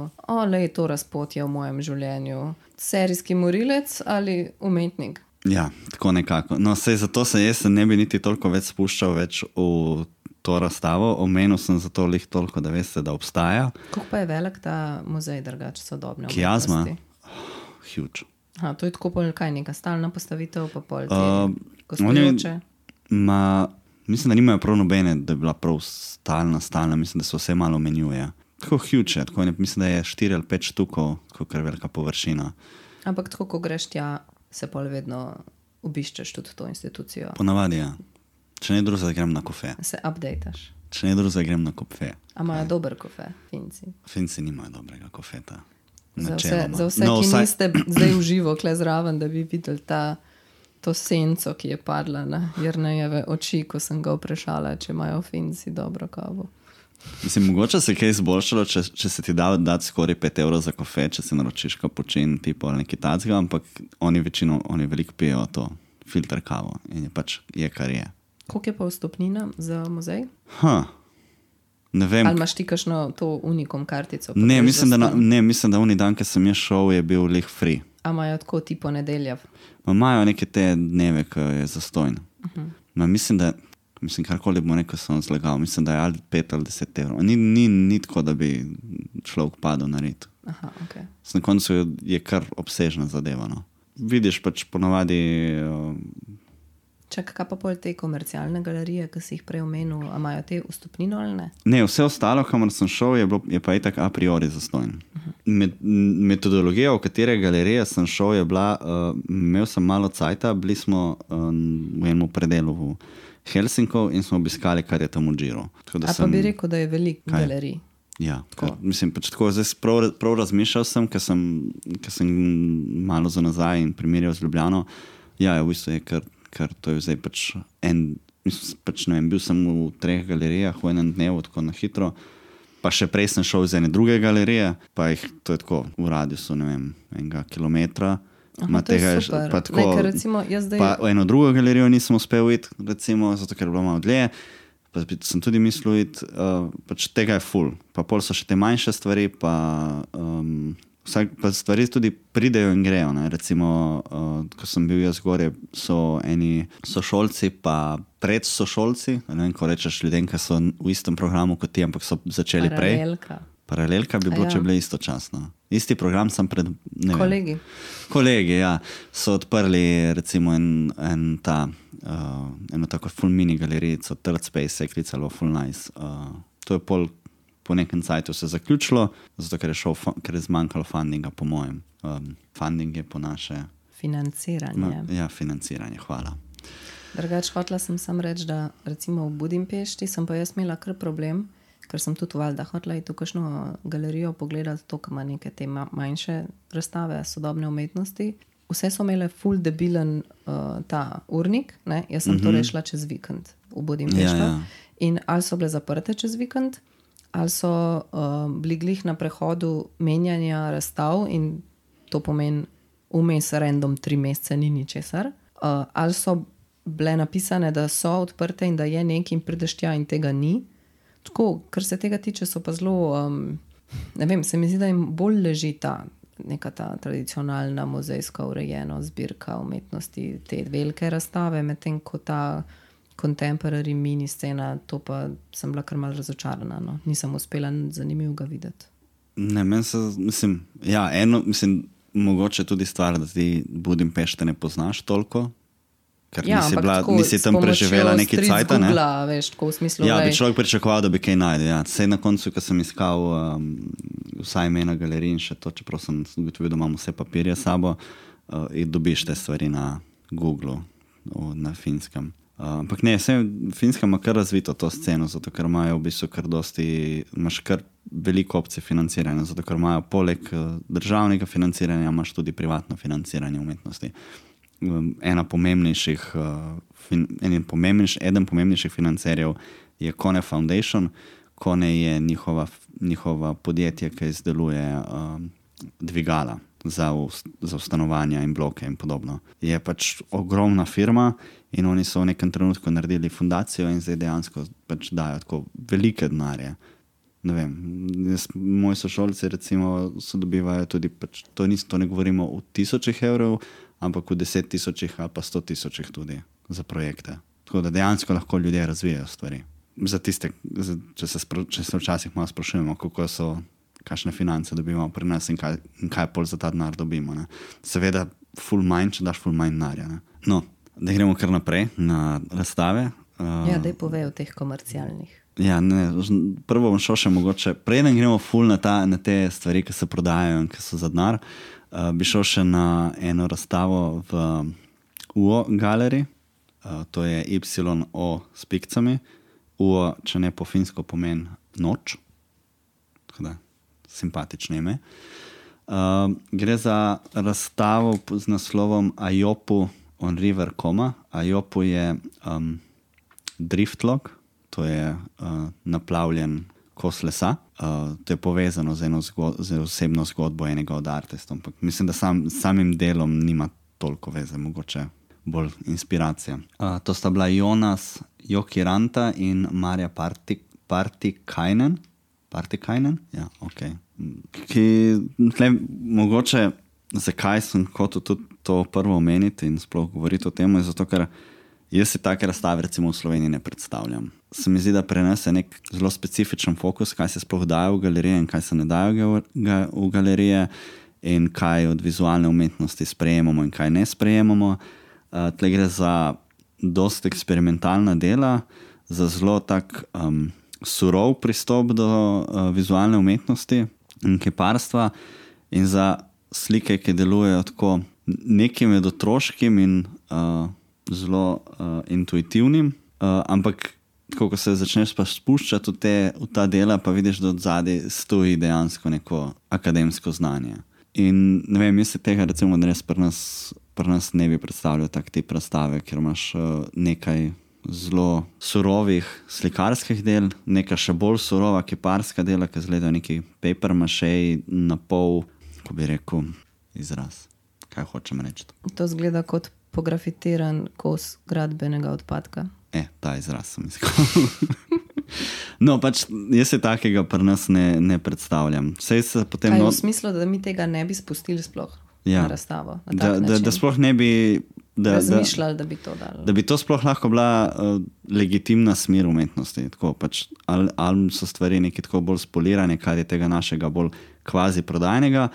to razpotje v mojem življenju. Serijski morilec ali umetnik? Ja, tako nekako. No, sej zato jaz ne bi niti toliko več spuščal več v to razstavo. Omenil sem zato toliko, da veste, da obstaja. Kako pa je velik ta muzej drugače sodobne umetnosti? Kiasma? Huge. To je tako pol kaj, neka stalna postavitev, pa pol gostujoče? Mislim, da nimajo prav nobene, da je bila prav stalna, mislim, da se vse malo menjuje. Tako huge je, mislim, da je 4 ali 5 štukov, tako kar velika površina. Ampak tako, ko greš tja, se pol vedno obiščeš tudi to institucijo. Ponavadi, ja. Če ne drugega, grem na kofe. Se updateš. Če ne drugega, grem na kofe. A imajo dober kofe, Finci? Finci nimajo dobrega kofeta. Za vse, ki niste zdaj v živo kle zraven, da bi videli to senco, ki je padla na Jernejeve oči, ko sem ga vprašala, če imajo Finci dobro kavo. Mislim, mogoče se kaj izboljšalo, če se ti da dati skoraj 5 € za kofe, če si naročiš kapučin tipo ali nekaj tacga, ampak oni veliko pijejo to filter kavo in je pač kar je. Koliko je pa vstopnina za muzej? Ne vem. Ali imaš ti kakšno to unikom kartico? Ne, mislim, da oni dan, ko sem jaz šel, je bil lih free. A imajo tako tipo nedelja? Imajo neke te dneve, ko je zastojn. Mislim, karkoli bomo rekel, sem zlagal. Mislim, da je ali 5 ali 10 €. Ni tako, da bi človek padel na rit. Aha, ok. Na koncu je kar obsežna zadeva, no. Vidiš pač ponavadi... Čak, kaj pa pol te komercialne galerije, ki si jih prej omenil, a imajo te vstopnino ali ne? Ne, vse ostalo, kamor sem šel, je pa itak a priori zastojn. Metodologija, v katere galerije sem šel, je bila, imel sem malo cajta, bili smo v enem predelu v Helsinkov in smo obiskali, kar je tam v Džiru. Pa bi rekel, da je veliko galerij. Ja, mislim, pač tako, zdaj prav razmišljal sem, ker sem malo za nazaj in primerjal z Ljubljano. Ja, v bistvu je, ker to je zdaj pač ne vem, bil sem v 3 galerijah v enem dnevu, tako na hitro. Pa še prej sem šel iz ene druge galerije, pa jih to je tako v radiusu, ne vem, 1 kilometra. To je super. Pa tako, recimo, zdaj... pa v eno drugo galerijo nisem uspel iti, recimo, zato ker je bilo malo dlje. Pa sem tudi mislil iti, pač tega je ful. Pa pol so še te manjše stvari, pa stvari tudi pridejo in grejo. Ne? Recimo, ko sem bil jaz gore, so eni sošolci, pa predsošolci, ne vem, ko rečeš ljudem, ki so v istem programu kot ti, ampak so začeli prej. Paralelka bi bilo, če bile istočasno. Isti program sem pred... Kolegi, ja. So odprli recimo eno tako full mini galerico, Third Space se je klicalo, full nice. To je po nekem cajtu se zaključilo, zato ker je zmanjkalo fundinga, po mojem. Funding je po naše... Financiranje. Ja, financiranje, hvala. Drugač, hotela sem sam reči, da recimo v Budimpešti sem pa jaz imela kar problem, ker sem tudi valjda hotela iti v kakšno galerijo pogledati to, ki ima neke te manjše razstave sodobne umetnosti. Vse so imele full debilen ta urnik, ne? Jaz sem to rešila čez vikend v Budimpešto. Ja. In ali so bile zaprte čez vikend, ali so bili glih na prehodu menjanja razstav in to pomeni vmes random 3 mesece ni ničesar, ali so bile napisane, da so odprte in da je nekaj in prideš tja in tega ni. Tako, kar se tega tiče, so pa zelo, ne vem, se mi zdi, da jim bolj leži neka ta tradicionalna muzejska urejena zbirka umetnosti, te velike razstave, medtem ko ta contemporary mini scena, to pa sem bila kar malo razočarana, no. Nisem uspela zanimivega videti. Ne, mislim, mogoče tudi stvar, da ti Budimpešte ne poznaš toliko, ker nisi tam preživela neki cajt, ne? Veš, tako v smislu, ja, bi človek pričakoval, da bi kaj najdel. Ja. Sej na koncu, ko sem iskal vsaj ime na galeriji in še to, čeprav sem ugotovil, da imam vse papirje s sabo, in dobiš te stvari na Googlu, na Finskem. Ampak ne, Finska ima kar razvito to sceno, zato ker imajo v bistvu imaš kar veliko opcij financiranja, zato ker imajo poleg državnega financiranja, imaš tudi privatno financiranje umetnosti. Eden pomembnejših financerjev je Kone Foundation. Kone je njihova podjetje, ki izdeluje dvigala za stanovanja in bloke in podobno. Je pač ogromna firma in oni so v nekem trenutku naredili fundacijo in zdaj dejansko pač dajo tako velike denarje. Ne vem, moji sošolci recimo so dobivajo tudi, pač, to ne govorimo v 1000 evrov, ampak v 10.000 ali pa 100.000 tudi za projekte. Tako da dejansko lahko ljudje razvijajo stvari. Za tiste, če se včasih malo sprašujemo, kakšne finance dobimo pri nas in kaj pol za ta denar dobimo. Ne. Seveda, full manj, če daš full manj denarja. No, da gremo kar naprej na razstave. Ja, daj povej o teh komercialnih. Ja, ne, prvo bom šel še mogoče, preden gremo full na te stvari, ki se prodajajo in ki so za denar, bi šel še na eno razstavo v UO galeriji, to je YO s pikcami. UO, če ne po finsko pomeni noč, tako da simpatično ime. Gre za razstavo z naslovom Ajopu on River Koma. Ajopu je driftlog, to je naplavljen kos lesa. To je povezano z osebno zgodbo enega od artistov. Mislim, da samim delom nima toliko veze, mogoče bolj inspiracija. To sta bila Jonas Jokiranta in Marja Partikainen. Ja, ok. Mogoče, zakaj sem hotel tudi to prvo omeniti in sploh govoriti o tem, je zato, ker jaz si take razstave recimo v Sloveniji ne predstavljam. Se mi zdi, da prenese nek zelo specifičen fokus, kaj se sploh daje v galerije in kaj se ne daje v galerije in kaj od vizualne umetnosti sprejemamo in kaj ne sprejemamo. Tle gre za dosti eksperimentalna dela, za zelo tak surov pristop do vizualne umetnosti. in kiparstva in za slike, ki delujejo tako nekaj med otroškim in zelo intuitivnim, ampak ko se začneš pa spuščati v ta dela, pa vidiš, da od zadaj stoji dejansko neko akademsko znanje. In ne vem, jaz se tega recimo res pri nas ne bi predstavljal tak tip razstave, ker imaš nekaj zelo surovih slikarskih del, neka še bolj surova kiparska dela, ki izgledajo neki paper mache na pol, ko bi rekel, izraz. Kaj hočem reči? To izgleda kot pografitiran kos gradbenega odpadka. Ta izraz sem iskal. No, pač jaz se takega pri nas ne predstavljam. Potem v smislu, da mi tega ne bi spustili sploh na razstavo? Da sploh ne bi razmišljali, da bi to dali. Da bi to sploh lahko bila legitimna smer umetnosti. Tako, pač, ali so stvari nekaj tako bolj spolirane, kar je tega našega bolj kvazi prodajnega,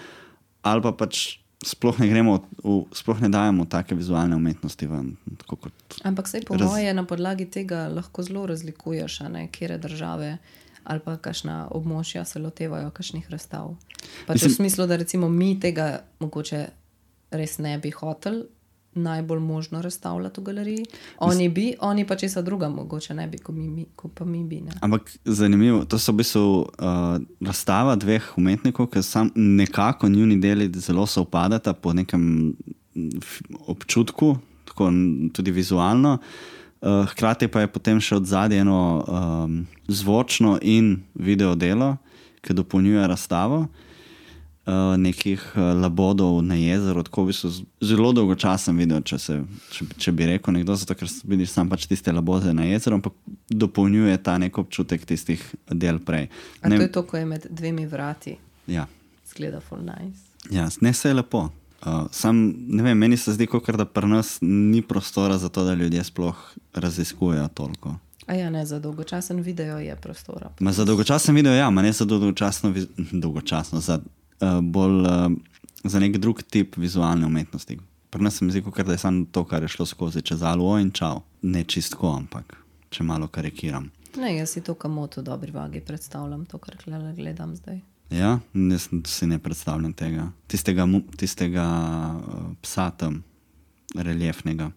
ali pa pač sploh ne dajemo take vizualne umetnosti ven. Ampak sej po moje na podlagi tega lahko zelo razlikuješ, kjere države ali pa kakšna območja se lotevajo kakšnih razstav. Pač v smislu, da recimo mi tega mogoče res ne bi hoteli najbolj možno razstavljati v galeriji. Oni pa česa druga mogoče ne bi, ko pa mi bi. Ne? Ampak zanimivo, to so v bistvu razstava dveh umetnikov, ki nekako njuni deli zelo sovpadata po nekem občutku, tako tudi vizualno. Hkrati pa je potem še od zadaj eno zvočno in video delo, ki dopolnjuje razstavo. Nekih labodov na jezeru, tako v bistvu zelo dolgočasen video, če bi rekel nekdo, zato ker vidiš sam pač tiste labode na jezeru, ampak dopolnjuje ta nek občutek tistih del prej. A to je to, ko je med dvemi vrati? Ja. Zgleda full nice. Ja, ne se je lepo. Sam, ne vem, meni se zdi, kakor da pri nas ni prostora za to, da ljudje sploh raziskujejo toliko. A ja, ne, za dolgočasen video je prostora. Za dolgočasen video, ja, ne za dolgočasno, bolj za nek drug tip vizualne umetnosti. Pri nas se mi zdi, da je samo to, kar je šlo skozi čez alo in čau. Ne čistko, ampak če malo karikiram. Ne, jaz si to kamoto v dobri vagi predstavljam, to, kar gledam zdaj. Ja, jaz si ne predstavljam tega. Tistega psa tam, reljefnega.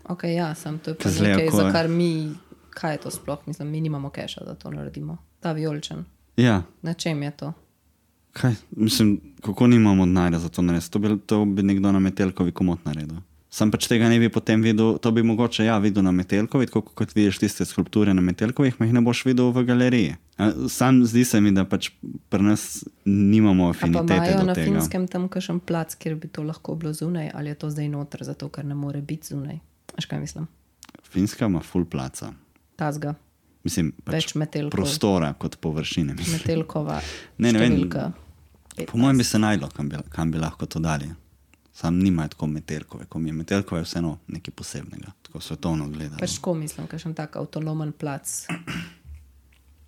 Ok, ja, sam to je pa nekaj, za kar mi, kaj je to sploh, mislim, mi nimamo keša, da to naredimo. Ta vijoličen. Ja. Na čem je to? Kaj? Mislim, kako nimamo denarja za to narediti? To bi nekdo na Metelkovi komot naredil. Sam pač tega ne bi potem videl, to bi mogoče videl na Metelkovi, tako kot vidiš tiste skulpture na Metelkovih, ma jih ne boš videl v galeriji. Sam zdi se mi, da pač pri nas nimamo afinitete do tega. A pa imajo na Finskem tam kakšen plac, kjer bi to lahko bilo zunaj, ali je to zdaj noter, zato ker ne more biti zunaj? Až kaj mislim? Finska ima full placa. Tazga. Mislim, pač prostora kot površine. Metelkova številka. Po mojem bi se najdlo, kam bi lahko to dali. Sam nimajo tako Metelkove. Ko mi je Metelkova je vseeno nekaj posebnega. Tako svetovno gledano. Pač ko mislim, kakšen tak avtonomen plac,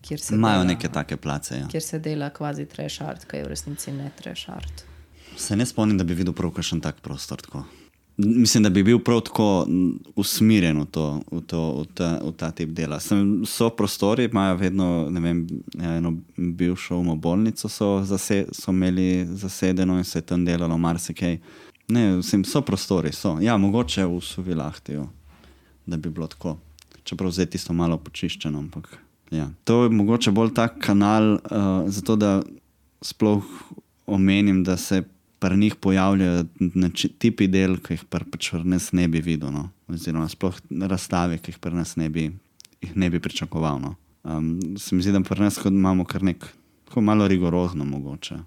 kjer se imajo neke take place, ja. Kjer se dela kvazi trash art, kaj je v resnici ne trash art. Se ne spomnim, da bi videl prav kakšen tak prostor tako. Mislim, da bi bil prav tako usmirjen v ta tip dela. So prostori, imajo vedno, ne vem, eno bivšo umobolnico so imeli zasedeno in se je tam delalo marsikaj. Ne, so prostori, so. Ja, mogoče v Suvilahtiju, da bi bilo tako. Čeprav zdaj tisto malo počiščeno, ampak ja. To je mogoče bolj tak kanal, zato da sploh omenim, da se pri njih pojavljajo tipi del, ki jih pač pri nas ne bi videl, no? Oziroma sploh razstave, ki jih pri nas ne bi pričakoval. No? Se mi zdi, da pri nas imamo kar malo rigorozno mogoče.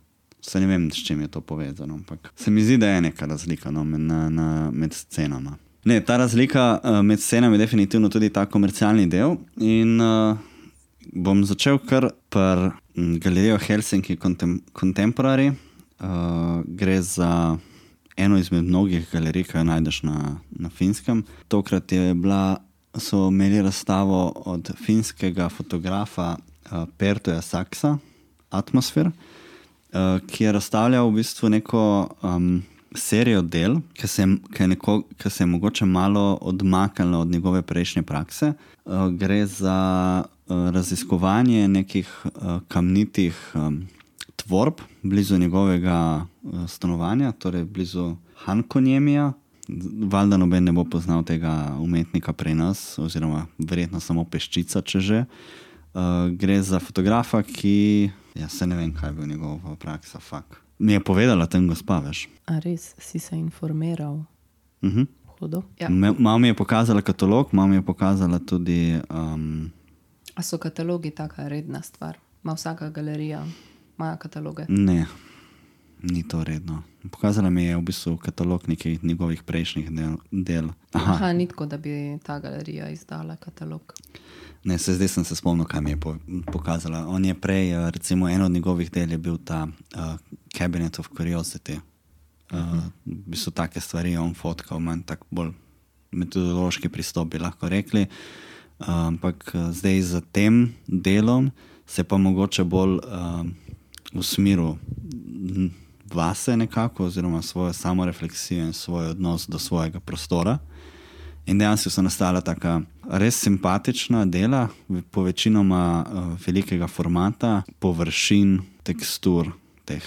Se ne vem, s čim je to povezano, ampak se mi zdi, da je neka razlika, no, med scenama. Ne, ta razlika med scenami je definitivno tudi ta komercialni del in bom začel kar pri galerijo Helsinki Contemporary. Gre za eno izmed mnogih galerij, ki jo najdeš na Finskem. Tokrat so imeli razstavo od finskega fotografa Pertoja Saksa, Atmosphere, ki je razstavljal v bistvu neko serijo del, ki se je mogoče malo odmaknila od njegove prejšnje prakse. Gre za raziskovanje nekih kamnitih dvorb blizu njegovega stanovanja, torej blizu Hankonjemija. Valjda noben ne bo poznal tega umetnika pri nas, oziroma verjetno samo peščica, če že. Gre za fotografa, ki, se ne vem, kaj je bil njegova praksa, fakt. Mi je povedala ten gospa, veš. A res, si se informiral? Hudo. Ja. Malo mi je pokazala katalog, malo mi je pokazala tudi... A so katalogi taka redna stvar? Ma vsaka galerija ima kataloge? Ne, ni to redno. Pokazala mi je v bistvu katalog nekih njegovih prejšnjih del. Aha, ni tako, da bi ta galerija izdala katalog. Ne, zdaj sem se spomnil, kaj mi je pokazala. On je prej, recimo, eno od njegovih del je bil ta Cabinet of Curiosity. V bistvu take stvari on fotkal, manj tak bolj metodološki pristop bi lahko rekli. Ampak zdaj za tem delom se pa mogoče bolj usmeril vase nekako, oziroma svojo samorefleksijo in svoj odnos do svojega prostora. In dejansko so nastala taka res simpatična dela, po večinoma velikega formata, površin, tekstur teh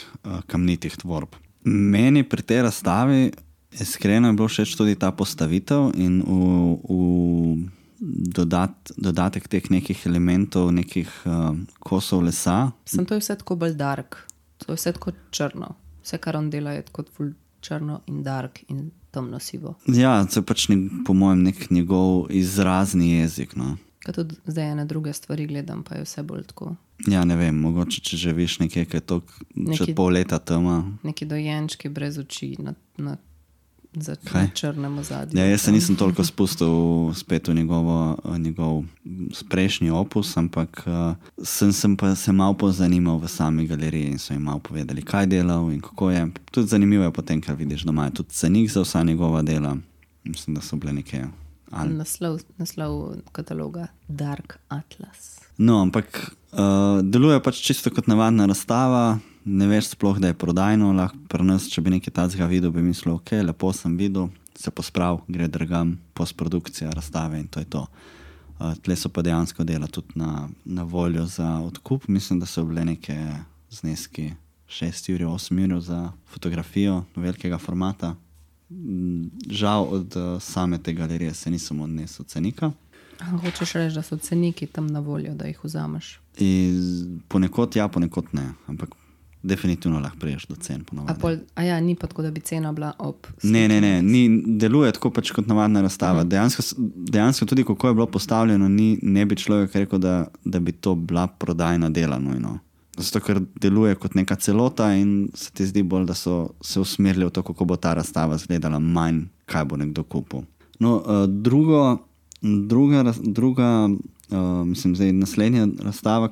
kamnitih tvorb. Meni pri tej razstavi iskreno je bilo všeč tudi ta postavitev in v dodatek teh nekih elementov, nekih kosov lesa. To je vse tako bolj dark, to je vse tako črno. Vse, kar on dela, je tako črno in dark in temno sivo. Ja, to je pač po mojem nek njegov izrazni jezik. No. Kaj tudi zdaj ene druge stvari gledam, pa je vse bolj tako. Ja, ne vem, mogoče če že viš nekaj, kaj je to še pol leta tema. Neki dojenčki brez oči na črnem ozadju. Ja, jaz se nisem toliko spustil spet v njegov prejšnji opus, ampak sem pa se malo pozanimal v sami galeriji in so jim malo povedali, kaj delal in kako je. Tudi zanimivo je potem, kar vidiš doma. Je tudi cenik za vsa njegova dela. Mislim, da so bile neke... Naslov kataloga Dark Atlas. No, ampak deluje pač čisto kot navadna razstava. Ne veš sploh, da je prodajno, lahko pri nas, če bi nekaj tazga videl, bi mislil, ok, lepo sem videl, se posprav, gre dragam, postprodukcija, razstave in to je to. Tle so pa dejansko dela tudi na voljo za odkup. Mislim, da so bile neke zneski 6 jurjev, 8 jurjev za fotografijo velikega formata. Žal od same te galerije se nisem odnesel cenika. Hočeš reči, da so ceniki tam na voljo, da jih vzameš? Ponekod ja, ponekod ne, ampak definitivno lahko priješ do cen ponovadi. Ni pa tako, da bi cena bila ob... Ne, deluje tako pač kot navadna razstava. Dejansko tudi, kako je bilo postavljeno, ne bi človek rekel, da bi to bila prodajna dela nujno. Zato, ker deluje kot neka celota in se ti zdi bolj, da so se usmerili v to, kako bo ta razstava izgledala, manj, kaj bo nekdo kupil. No, mislim, zdaj naslednja razstava,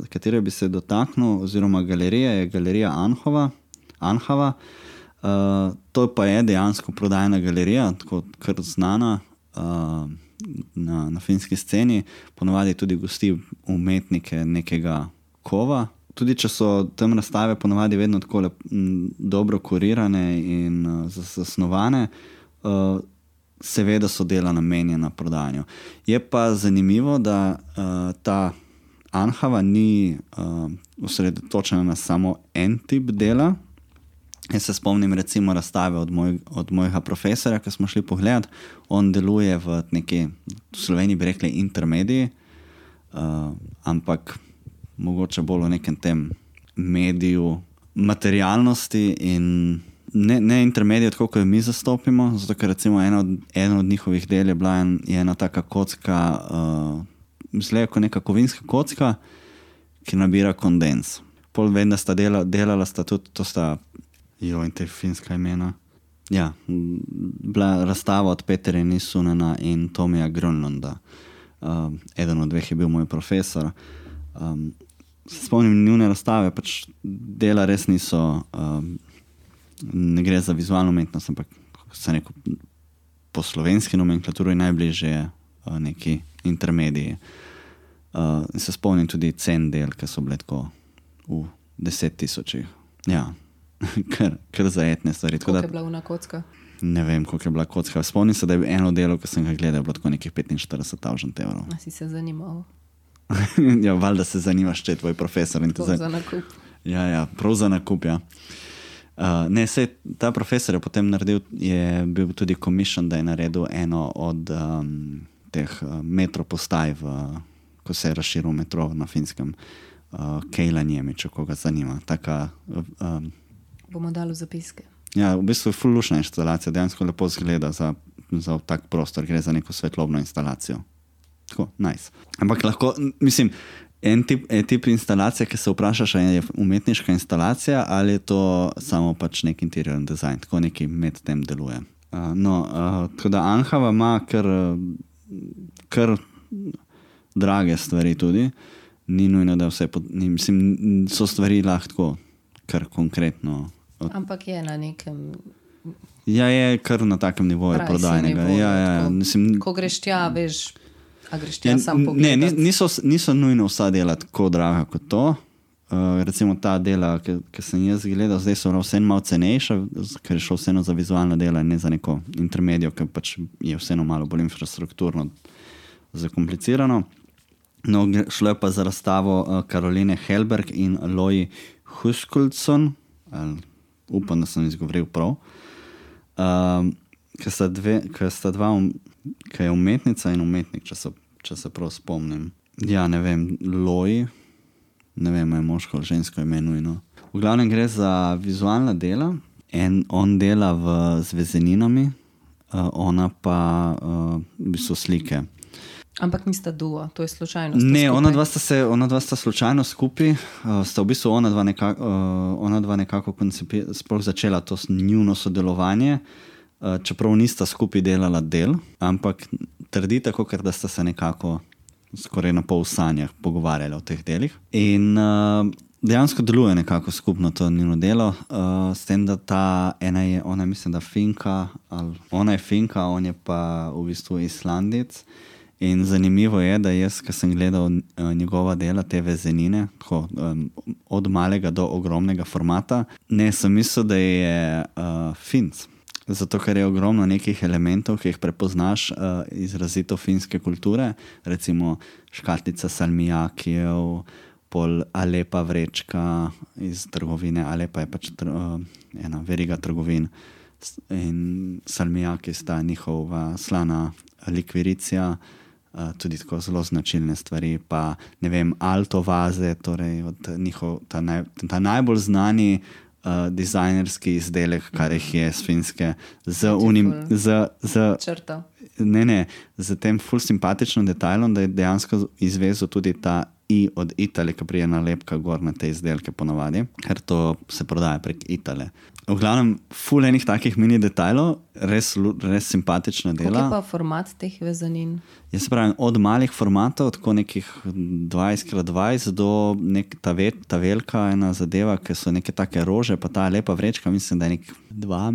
katero bi se dotaknil, oziroma galerija, je galerija Anhava. To pa je dejansko prodajna galerija, tako kar znana na finski sceni. Ponovadi tudi gosti umetnike nekega kova. Tudi če so tam razstave ponovadi vedno tako dobro kurirane in zasnovane, seveda so dela namenjena prodajanju. Je pa zanimivo, da ta Anhava ni osredotočena na samo en tip dela. Jaz se spomnim recimo razstave od mojega profesorja, ki smo šli pogledat. On deluje v neki, v Sloveniji bi rekli intermediji, ampak mogoče bolj v nekem tem mediju materialnosti in ne intermedijo, tako kot mi zastopimo, zato ker recimo eno od njihovih del je bila ena taka kocka, mislim, kot neka kovinska kocka, ki nabira kondens. Pol vem, da sta delala sta tudi, to sta, in te finska imena. Ja, bila razstava od Peterja Nisunena in Tomija Grönlunda. Eden od dveh je bil moj profesor. Se spomnim njune razstave, pač dela res niso, ne gre za vizualno umetnost, ampak se neko po slovenski nomenklaturi najbližje neki intermediji. Se spomnim tudi cen del, ki so bile tako v 10 000. Ja, kar zajetne stvari. Koliko je bila una kocka? Ne vem, koliko je bila kocka. Spomnim se, da je eno delo, ko sem ga gledal, bilo tako nekih 45,000 evrov. A si se zanimal? Ja, valjda se zanimaš, če je tvoj profesor. To za nakup. Ja, prav za nakup, ja. Ne, sej ta profesor je potem naredil, je bil tudi commission, da je naredil eno od teh metro postaj, ko se je razširil metro na Finskem, Keilaniemi, če koga zanima. Taka, bomo dali v zapiske. Ja, v bistvu je ful lušna instalacija, dejansko lepo zgleda za tak prostor, gre za neko svetlobno instalacijo. Tako, nice. Ampak lahko, mislim, en tip instalacije, ki se vprašaš, je umetniška instalacija ali je to samo pač nek interior design, tako neki med tem deluje. Tako da Anhava ima kar drage stvari tudi, ni nujno, da vse, mislim, so stvari lahko kar konkretno. Ampak je na nekem... Ja, je kar na takem nivoju prodajnega. Ja, mislim, ko greš tja, veš, a greš tja sam pogledat. Ne, niso nujno vsa dela tako draga kot to. Recimo ta dela, ki sem jaz gledal, zdaj so vseeno malo cenejša, ker je šlo vseeno za vizualna dela, ne za neko intermedijo, ki pač je vseeno malo bolj infrastrukturno zakomplicirano. No, šlo je pa za razstavo Karoline Helberg in Loji Huskuldsson, upam, da sem izgovoril prav, ki je umetnica in umetnik, če se prav spomnim. Ja, ne vem, Loji, ne vem, je moško ali žensko ime nujno. V glavnem gre za vizualna dela, on dela z vezeninami, ona pa v bistvu slike. Ampak nista duo, to je slučajno. Ne, ona dva sta slučajno skupaj, sta v bistvu ona dva nekako sploh začela to njuno sodelovanje, čeprav nista skupaj delala del, ampak trdi tako, ker da sta se nekako skoraj na pol sanjah pogovarjali o teh delih. In dejansko deluje nekako skupno to njuno delo, s tem, da ona mislim, da Finka, ona je Finka, on je pa v bistvu Islandec. In zanimivo je, da jaz, ko sem gledal njegova dela, te vezenine, tako, od malega do ogromnega formata, ne, sem mislil, da je Finc. Zato, ker je ogromno nekih elementov, ki jih prepoznaš izrazito finske kulture, recimo škatlica salmijakijev, pol Alepa vrečka iz trgovine, Alepa je pač ena veriga trgovin in salmijaki sta njihova slana likviricija, tudi tako zelo značilne stvari, pa ne vem, alto vaze, torej ta najbolj znani dizajnerski izdelek, kar jih je s Finske, z tem ful simpatičnim detajlom, da je dejansko izvezel tudi ta i od Itale, ki prije nalepka gor na te izdelke ponavadi, ker to se prodaja prek Itale. V glavnem, ful enih takih mini detajlov, res simpatična dela. Kako je pa format teh vezanin? Jaz se pravim, od malih formatov, tako nekih 20x20 do ta velika ena zadeva, ki so neke take rože, pa ta lepa vrečka, mislim, da je nek 2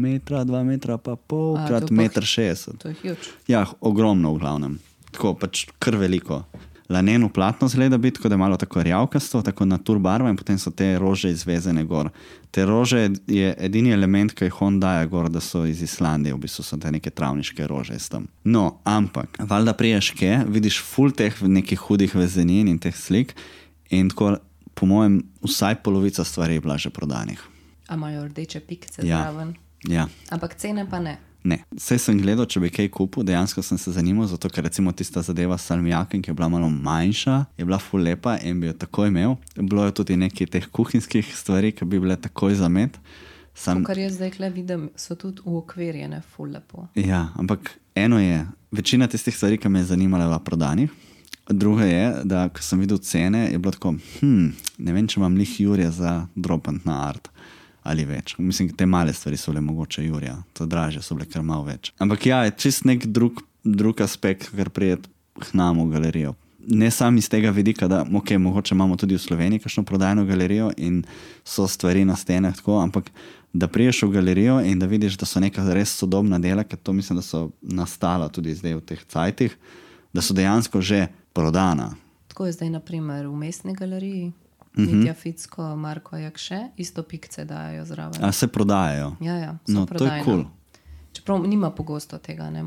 metra pa pol krat 1,60 m. To je huge. Ja, ogromno v glavnem. Tako pač kar veliko. Laneno platno zgleda biti, tako da je malo tako rjavkasto, tako natur barva in potem so te rože izvezene gor. Te rože je edini element, ki jih on daje gor, da so iz Islandije, v bistvu so te neke travniške rože iz tam. No, ampak, valjda priješ kje, vidiš ful teh nekih hudih vezenin in teh slik in tako, po mojem, vsaj polovica stvari je bila že prodanih. A imajo rdeče pikce zraven? Ja. Ampak cene pa ne? Ne, vse sem gledal, če bi kaj kupil, dejansko sem se zanimal, zato ker recimo tista zadeva s salmijakem, ki je bila malo manjša, je bila ful lepa in bi jo takoj imel. Bilo je tudi nekaj teh kuhinjskih stvari, ki bi bile takoj za med. Kar jaz zdaj kle vidim, so tudi uokvirjene ful lepo. Ja, ampak eno je, večina tistih stvari, ki me je zanimala, bila prodanih. Druga je, da ko sem videl cene, je bilo tako, ne vem, če imam lih Jurja za dropant na art. Ali več. Mislim, te male stvari so bile mogoče Jurja, to dražje so bile kar malo več. Ampak ja, je čist nek drug aspekt, kar prijet k nam v galerijo. Ne sam iz tega vidika, da mogoče imamo tudi v Sloveniji kakšno prodajno galerijo in so stvari na stenah tako, ampak da priješ v galerijo in da vidiš, da so neka res sodobna dela, ker to mislim, da so nastala tudi zdaj v teh cajtih, da so dejansko že prodana. Tako je zdaj na primer v Mestni galeriji. Mitja Ficko, Marko Jakše, isto pikce dajo zraven. A se prodajajo? Ja, no, to je cool. Čeprav nima pogosto tega, ne,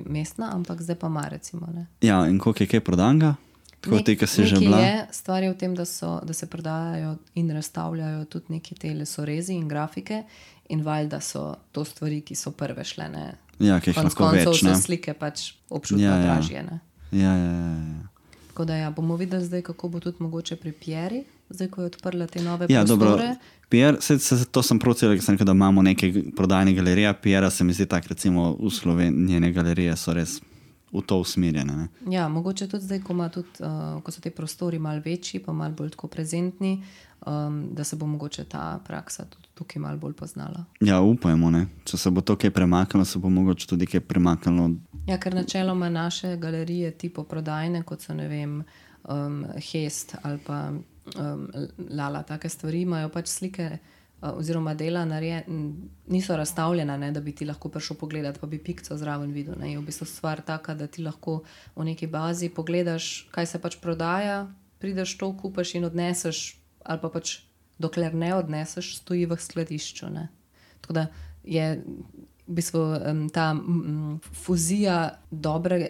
Mestna, ampak zdaj pa ima recimo. Ne. Ja, in koliko je kaj prodanga? Tako ti, ki si že bila. Stvar je v tem, da se prodajajo in razstavljajo tudi neki te lesorezi in grafike in valjda so to stvari, ki so prve šle, ne? Ja, ki jih lahko več, ne? Konec koncev so slike pač občutno dražje, ne? Ja. Tako da bomo videli zdaj, kako bo tudi mogoče pri Pieri, zdaj, ko je odprla te nove prostore. Dobro. Pierre, to sem procel, da imamo neke prodajne galerije. Piera se mi zdi tak, recimo v Sloveniji, njene galerije so res v to usmerjene. Ne? Ja, mogoče tudi zdaj, ko so te prostori malo večji, pa malo bolj tako prezentni, da se bo mogoče ta praksa tudi tukaj malo bolj poznala. Ja, upajmo, ne. Če se bo to kaj premaknilo, se bo mogoče tudi kaj premaknilo. Ja, ker načeloma naše galerije tipo prodajne, kot so, ne vem, Hest ali pa Lala, take stvari, imajo pač slike oziroma dela niso razstavljena, ne, da bi ti lahko prišel pogledati, pa bi pikco zraven videl. Ne. Je v bistvu stvar taka, da ti lahko v neki bazi pogledaš, kaj se pač prodaja, prideš to, kupaš in odneseš, ali pa pač dokler ne odneseš, stoji v skladišču. Ne. Tako da je v bistvu ta fuzija dobre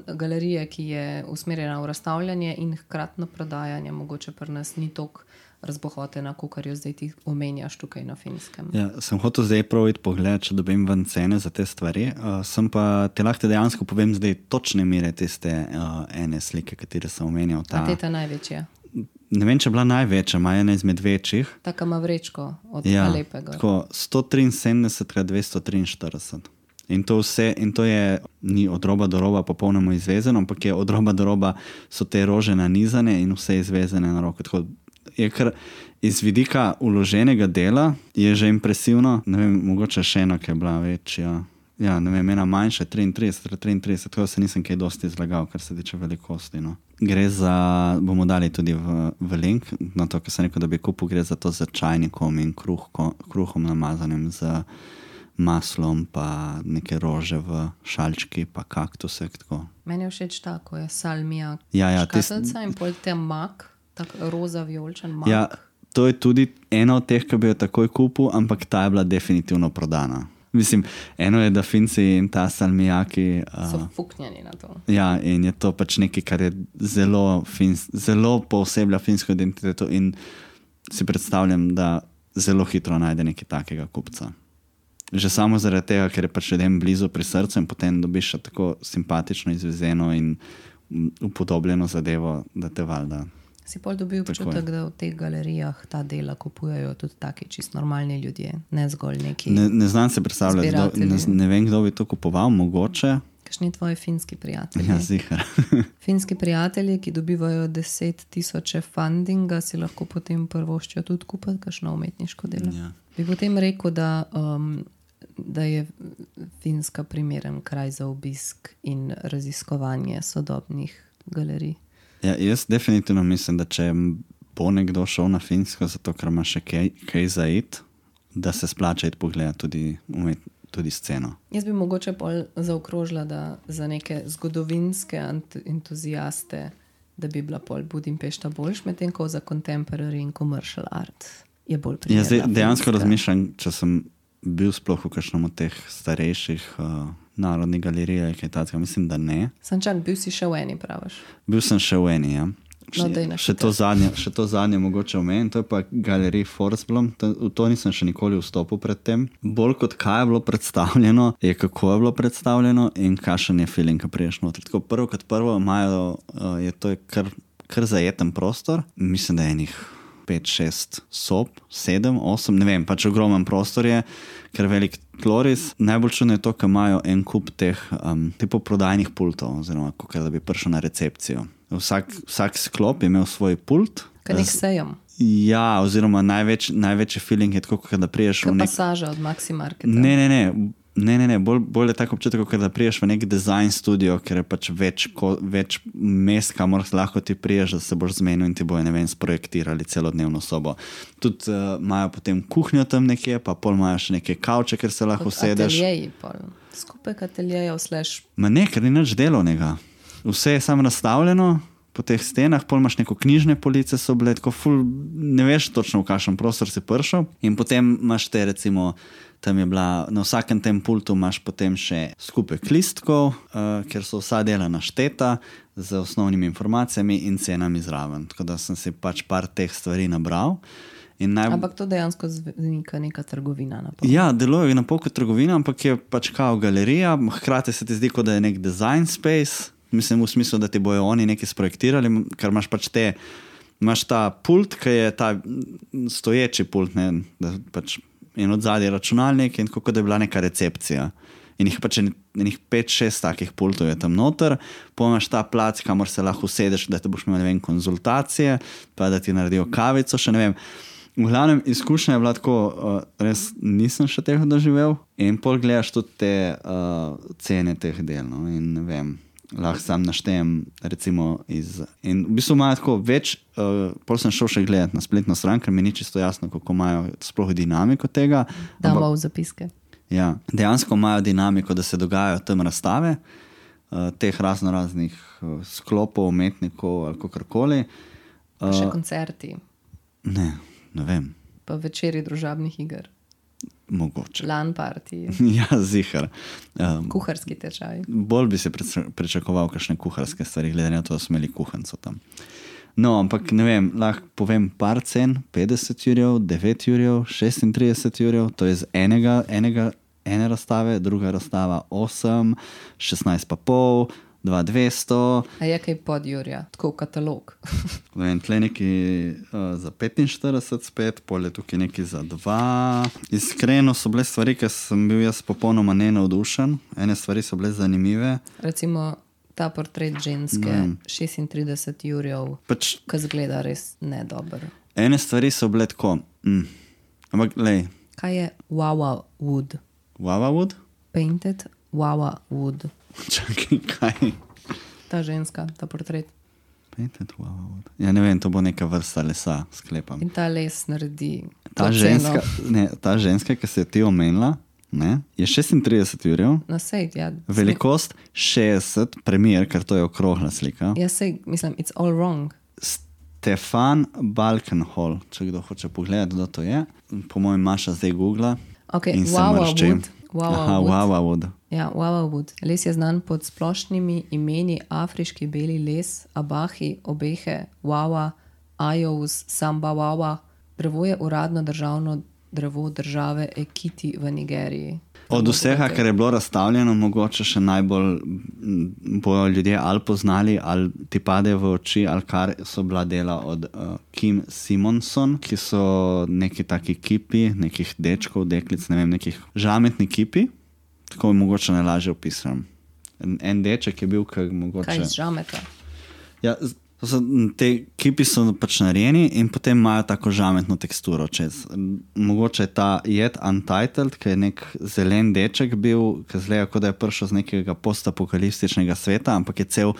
galerije, ki je usmerjena v razstavljanje in hkratno prodajanje, mogoče pri nas ni toliko razbohotena, kakor jo zdaj ti omenjaš tukaj na Finskem. Ja, sem hotel zdaj prav iti pogled, če dobim ven cene za te stvari. Sem pa te lahko dejansko povem zdaj točne mere tiste ene slike, katere sem omenjal. A te ta največja? Ne vem, če je bila največja, ima ena izmed večjih. Taka ima vrečko od Alepega. Tako 173x243. In to vse, in to je ni od roba do roba popolnoma izvezeno, ampak je od roba do roba so te rože nanizane in vse izvezene na roko. Tako je kar iz vidika uloženega dela je že impresivno. Ne vem, mogoče še ena, ki je bila večja. Ja, ne vem, ena manjša, 33, tako se nisem kaj dosti izlagal, kar se tiče velikosti. No. Gre za, bomo dali tudi v link, na to, kar sem rekel, da bi kupil, gre za to z čajnikom in kruhom namazanim z maslom, pa neke rože v šalčki, pa kaktusek. Tako. Meni je všeč tako, je salmija, škatlica in pol te mak, tak roza vijoličen mak. Ja, to je tudi ena od teh, ki bi jo takoj kupil, ampak ta je bila definitivno prodana. Mislim, eno je, da Finci in ta salmijaki so fuknjeni na to. Ja, in je to pač nekaj, kar je zelo pooseblja finsko identiteto in si predstavljam, da zelo hitro najde nekaj takega kupca. Že samo zaradi tega, ker je pač ljudem blizu pri srcu in potem dobiš tako simpatično izvezeno in upodobljeno zadevo, da te valjda. Si pol dobil občutek, da v teh galerijah ta dela kupujejo tudi taki čist normalni ljudje, ne zgolj neki ne znam se predstavljati, ne vem, kdo bi to kupoval, mogoče. Kakšni tvoji finski prijatelji? Ja, zihar. Finski prijatelji, ki dobivajo 10,000 fundinga, si lahko potem prvoščijo tudi kupiti kakšno umetniško delo. Ja. Bi potem rekel, da je Finska primeren kraj za obisk in raziskovanje sodobnih galerij. Ja, jaz definitivno mislim, da če bo nekdo šel na Finsko, zato ker ima še kaj za iti, da se splača iti pogledati tudi sceno. Jaz bi mogoče pol zaokrožila, da za neke zgodovinske entuziaste, da bi bila pol Budimpešta boljš, medtem ko za contemporary in commercial art je bolj primerna. Jaz dejansko razmišljam, če sem bil sploh v kakšnem od teh starejših narodnih galerij, kaj takega, mislim, da ne. Sančak, bil si še v eni, praviš? Bil sem še v eni, ja. No, še to zadnje mogoče omenim, to je pa galerij Forsblom, v to nisem še nikoli vstopil pred tem. Bolj kot kaj je bilo predstavljeno, je kako je bilo predstavljeno in kakšen je feeling, ko priješ noter. Tako prvo kot prvo je kar zajeten prostor, mislim, da je enih 5, 6 sob, 7, 8, ne vem, pač ogromen prostor je, ker velik tloris. Najbolj čudno je to, ker imajo en kup teh tipo prodajnih pultov, oziroma kako da bi prišel na recepcijo. Vsak sklop je imel svoj pult. Kaj nek sejem. Ja, oziroma največji feeling je tako, da priješ v nek... pasaža od Maxi Marketa. Ne, bolj je tako občutek, da priješ v nek design studio, ker je pač več mest, kamor lahko ti priješ, da se boš zmenil in ti bojo, ne vem, sprojektirali celodnevno sobo. Tudi imajo potem kuhnjo tam nekje, pa pol imajo še neke kavče, ker se lahko sedeš. Ateljeji pol. Skupek ateljejev slash... Ma ne, ker ni nič delovnega. Vse je samo nastavljeno po teh stenah, pol imaš neko knjižne police, so bile tako ful, ne veš točno v kakšen prostor si prišel in potem imaš te recimo, tam je bila, na vsakem tem pultu imaš potem še skupek listkov, ker so vsa dela našteta, z osnovnimi informacijami in cenami zraven. Tako da sem si pač par teh stvari nabral. Ampak to dejansko zveni neka trgovina. Ja, deluje na pol kot trgovina, ampak je pač kao galerija, hkrati se ti zdi, kot da je nek design space, mislim v smislu, da ti bojo oni nekaj sprojektirali, ker imaš pač imaš ta pult, ki je ta stoječi pult, ne, da pač in od zadnje računalnik in tako, da je bila neka recepcija. In jih pač enih 5-6 takih pultov je tam noter, imaš ta plac, kamor se lahko usedeš, da te boš imel, ne vem, konzultacije, pa da ti naredijo kavico, še ne vem. V glavnem, izkušnja je bila tako, res nisem še tega doživel in pol gledaš tudi te cene teh del, no, in ne vem, lahko sam naštejem recimo in v bistvu imajo tako več, pol sem šel še gledati na spletno stran, ker mi ni čisto jasno, kako imajo sploh dinamiko tega. Damo v zapiske. Ja, dejansko imajo dinamiko, da se dogajajo tam razstave, teh raznih sklopov, umetnikov ali kakorkoli. Pa še koncerti. Ne vem. Pa večeri družabnih iger. Mogoče. LAN party. Ja, zihar. Kuharski tečaj. Bolj bi se pričakoval kakšne kuharske stvari, glede na to, da smo imeli kuhanco tam. No, ampak ne vem, lahko povem par cen, 50 jurjev, 9 jurjev, 36 jurjev, to je z ene razstave, druga razstava 8, 16 pa pol, 2,200. A je kaj pod jurja, tako katalog? Vem, tle neki za 45 spet, pol je tukaj neki za 2. Iskreno so bile stvari, ker sem bil jaz popolnoma nenavdušen. Ene stvari so bile zanimive. Recimo ta portret ženske, 36 jurjev, ki zgleda res nedober. Ene stvari so bile tako. Ampak, lej. Kaj je Wawa Wood? Wawa Wood? Painted Wawa Wood. Čakaj, kaj? Ta ženska, ta portret. Painted Wawa Wood. Ja, ne vem, to bo neka vrsta lesa, sklepam. In ta les naredi ta ženska, ki se je ti omenila, ne, je 36 jurjev. No, sej, ja. Velikost 60, premier, ker to je okrogla slika. Ja, sej, mislim, it's all wrong. Stefan Balkenhol, če kdo hoče pogledati, kdo to je. Po mojem Maša zdaj googla. Ok, in se Wawa mršči. Wood. Wawa Wood. Ja, Wawa Wood. Les je znan pod splošnimi imeni afriški beli les, abahi, obehe, wawa, ajous, samba wawa. Drevo je uradno državno drevo države Ekiti v Nigeriji. Od vsega, kar je bilo razstavljeno, mogoče še najbolj bojo ljudje ali poznali, ali ti pade v oči, ali kar so bila dela od Kim Simonson, ki so neki taki kipi, nekih dečkov, deklic, ne vem, nekih žametni kipi. Tako mogoče najlažje opisam. En deček je bil, kaj mogoče... Kaj iz žameta? Ja, te kipi so pač narejeni in potem imajo tako žametno teksturo čez. Mogoče je ta Yet Untitled, ki je nek zelen deček bil, ki zgleda, kot da je prišel z nekega postapokaliptičnega sveta, ampak je cel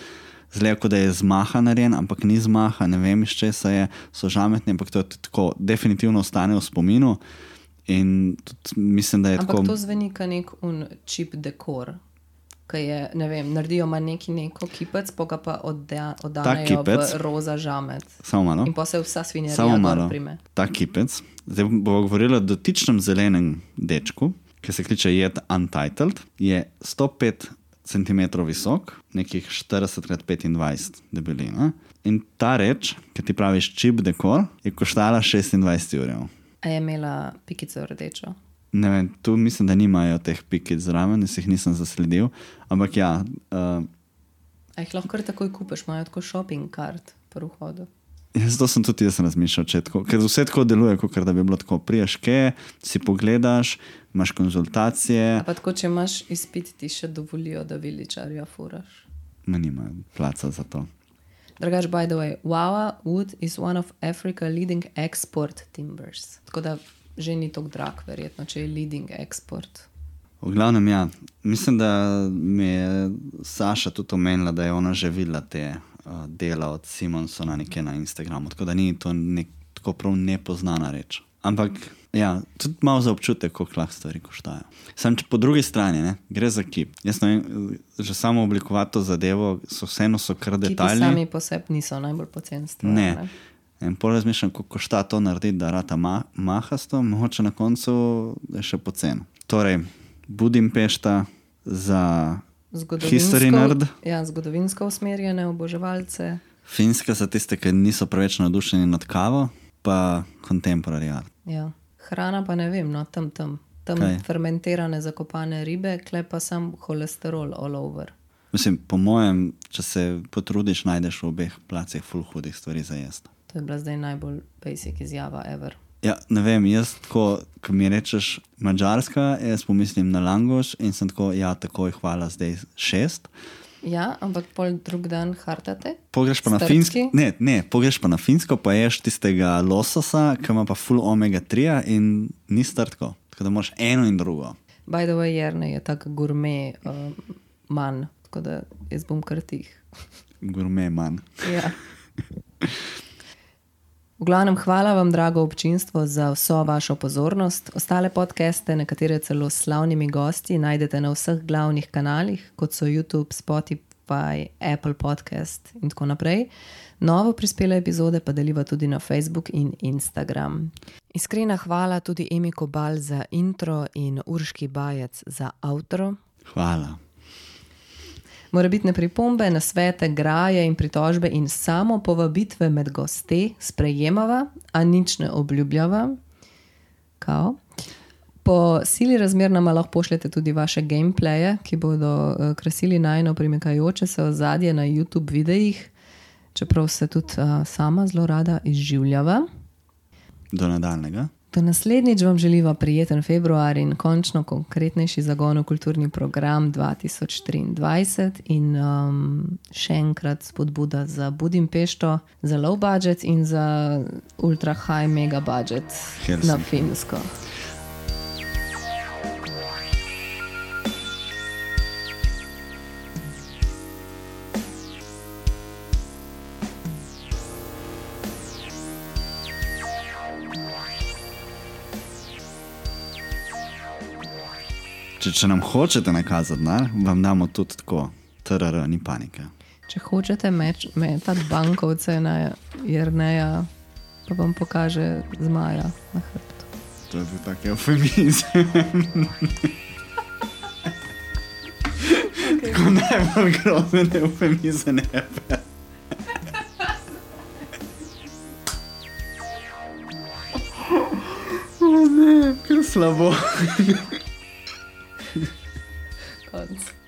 zgleda, kot da je z maha narejen, ampak ni z maha, ne vem iz česa je, so žametni, ampak to je tako definitivno ostane v spominu in tudi mislim, da je ampak tako... Ampak to zveni ka nek cheap dekor. Ki je, ne vem, naredijo neko kipec, pa oddanejo v roza žamet. Samo malo. In pa se vsa svinjarija gor prime. Ta kipec, zdaj bomo govorili o dotičnem zelenem dečku, ki se kliče Yet Untitled, je 105 cm visok, nekih 40x25 debelina. In ta reč, ki ti praviš cheap dekor, je koštala 26 jurjev. A je imela pikico rdečo? Ne vem, tu mislim, da nimajo teh pikic zraven, jaz jih nisem zasledil, ampak ja. A jih lahko kar takoj kupiš, imajo tako shopping kart pri vhodu. Zato sem tudi jaz razmišljal, ker vse tako deluje, kot da bi bilo tako, priješ kje, si pogledaš, imaš konzultacije. A pa tako, če imaš izpit, ti še dovolijo, da viličarja furaš. Ma nimajo placa za to. Drugač, by the way, Wawa Wood is one of Africa's leading export timbers. Tako da že ni tako drag, verjetno, če je leading export. V glavnem, ja. Mislim, da mi je Saša tudi omenila, da je ona že videla te dela od Simonsona nekje na Instagramu, tako da ni to tako prav nepoznana reč. Ampak, ja, tudi malo za občutek, koliko lahko stvari koštajo. Sam, če po drugi strani, ne, gre za kip. Jaz ne vem, že samo oblikovati to zadevo, vseeno so kar detajli. Kipi sami po sebi niso najbolj poceni stvari. Ne. In pol razmišljam, koliko košta to narediti, da rata mahasto, mogoče na koncu je še pocen. Torej, Budimpešta za History nerd. Ja, zgodovinsko usmerjene oboževalce. Finska so tiste, ki niso preveč navdušeni nad kavo, pa contemporary art. Ja. Hrana pa ne vem, no, tam fermentirane zakopane ribe, kle pa sam holesterol all over. Mislim, po mojem, če se potrudiš, najdeš v obeh placih ful hudih stvari za jesti. To je bila zdaj najbolj basic izjava ever. Ja, ne vem, jaz tako, ko mi rečeš Madžarska, jaz pomislim na langoš in sem tako, ja, takoj hvala, zdaj 6. Ja, ampak pol drug dan hartate? Pogreš pa na Finsko, pogreš pa na Finsko, pa ješ tistega lososa, ki ima pa ful omega 3 in ni strtko. Tako da moraš eno in drugo. By the way, Jernej je tak gourmet man, tako da jaz bom kar tih. Gourmet man. Ja. V glavnem, hvala vam, drago občinstvo, za vso vašo pozornost. Ostale podcaste, nekatere celo s slavnimi gosti, najdete na vseh glavnih kanalih, kot so YouTube, Spotify, Apple Podcast in tako naprej. Novo prispele epizode pa deliva tudi na Facebook in Instagram. Iskrena hvala tudi Emi Kobal za intro in Urški Bajec za outro. Hvala. Morebitne pripombe, nasvete, graje in pritožbe in samo povabitve med goste sprejemava, a nič ne obljubljava. Kao. Po sili razmer nama lahko pošljete tudi vaše gameplaye, ki bodo krasili najno primekajoče se ozadje na YouTube videih, čeprav se tudi sama zelo rada izživljava. Do nadaljnega. Do naslednjič vam želiva prijeten februar in končno konkretnejši zagon v kulturni program 2023 in še enkrat spodbuda za Budimpešto, za low budget in za ultra high mega budget na Finsko. Če nam hočete nakazati, vam damo tudi tako, TRR, ni panike. Če hočete metati bankovce na Jerneja, pa vam pokaže zmaja na hrbtu. To je bil tak eufemizem. Tako najbolj grozen eufemizem ever. O ne, kar slabo. Konc.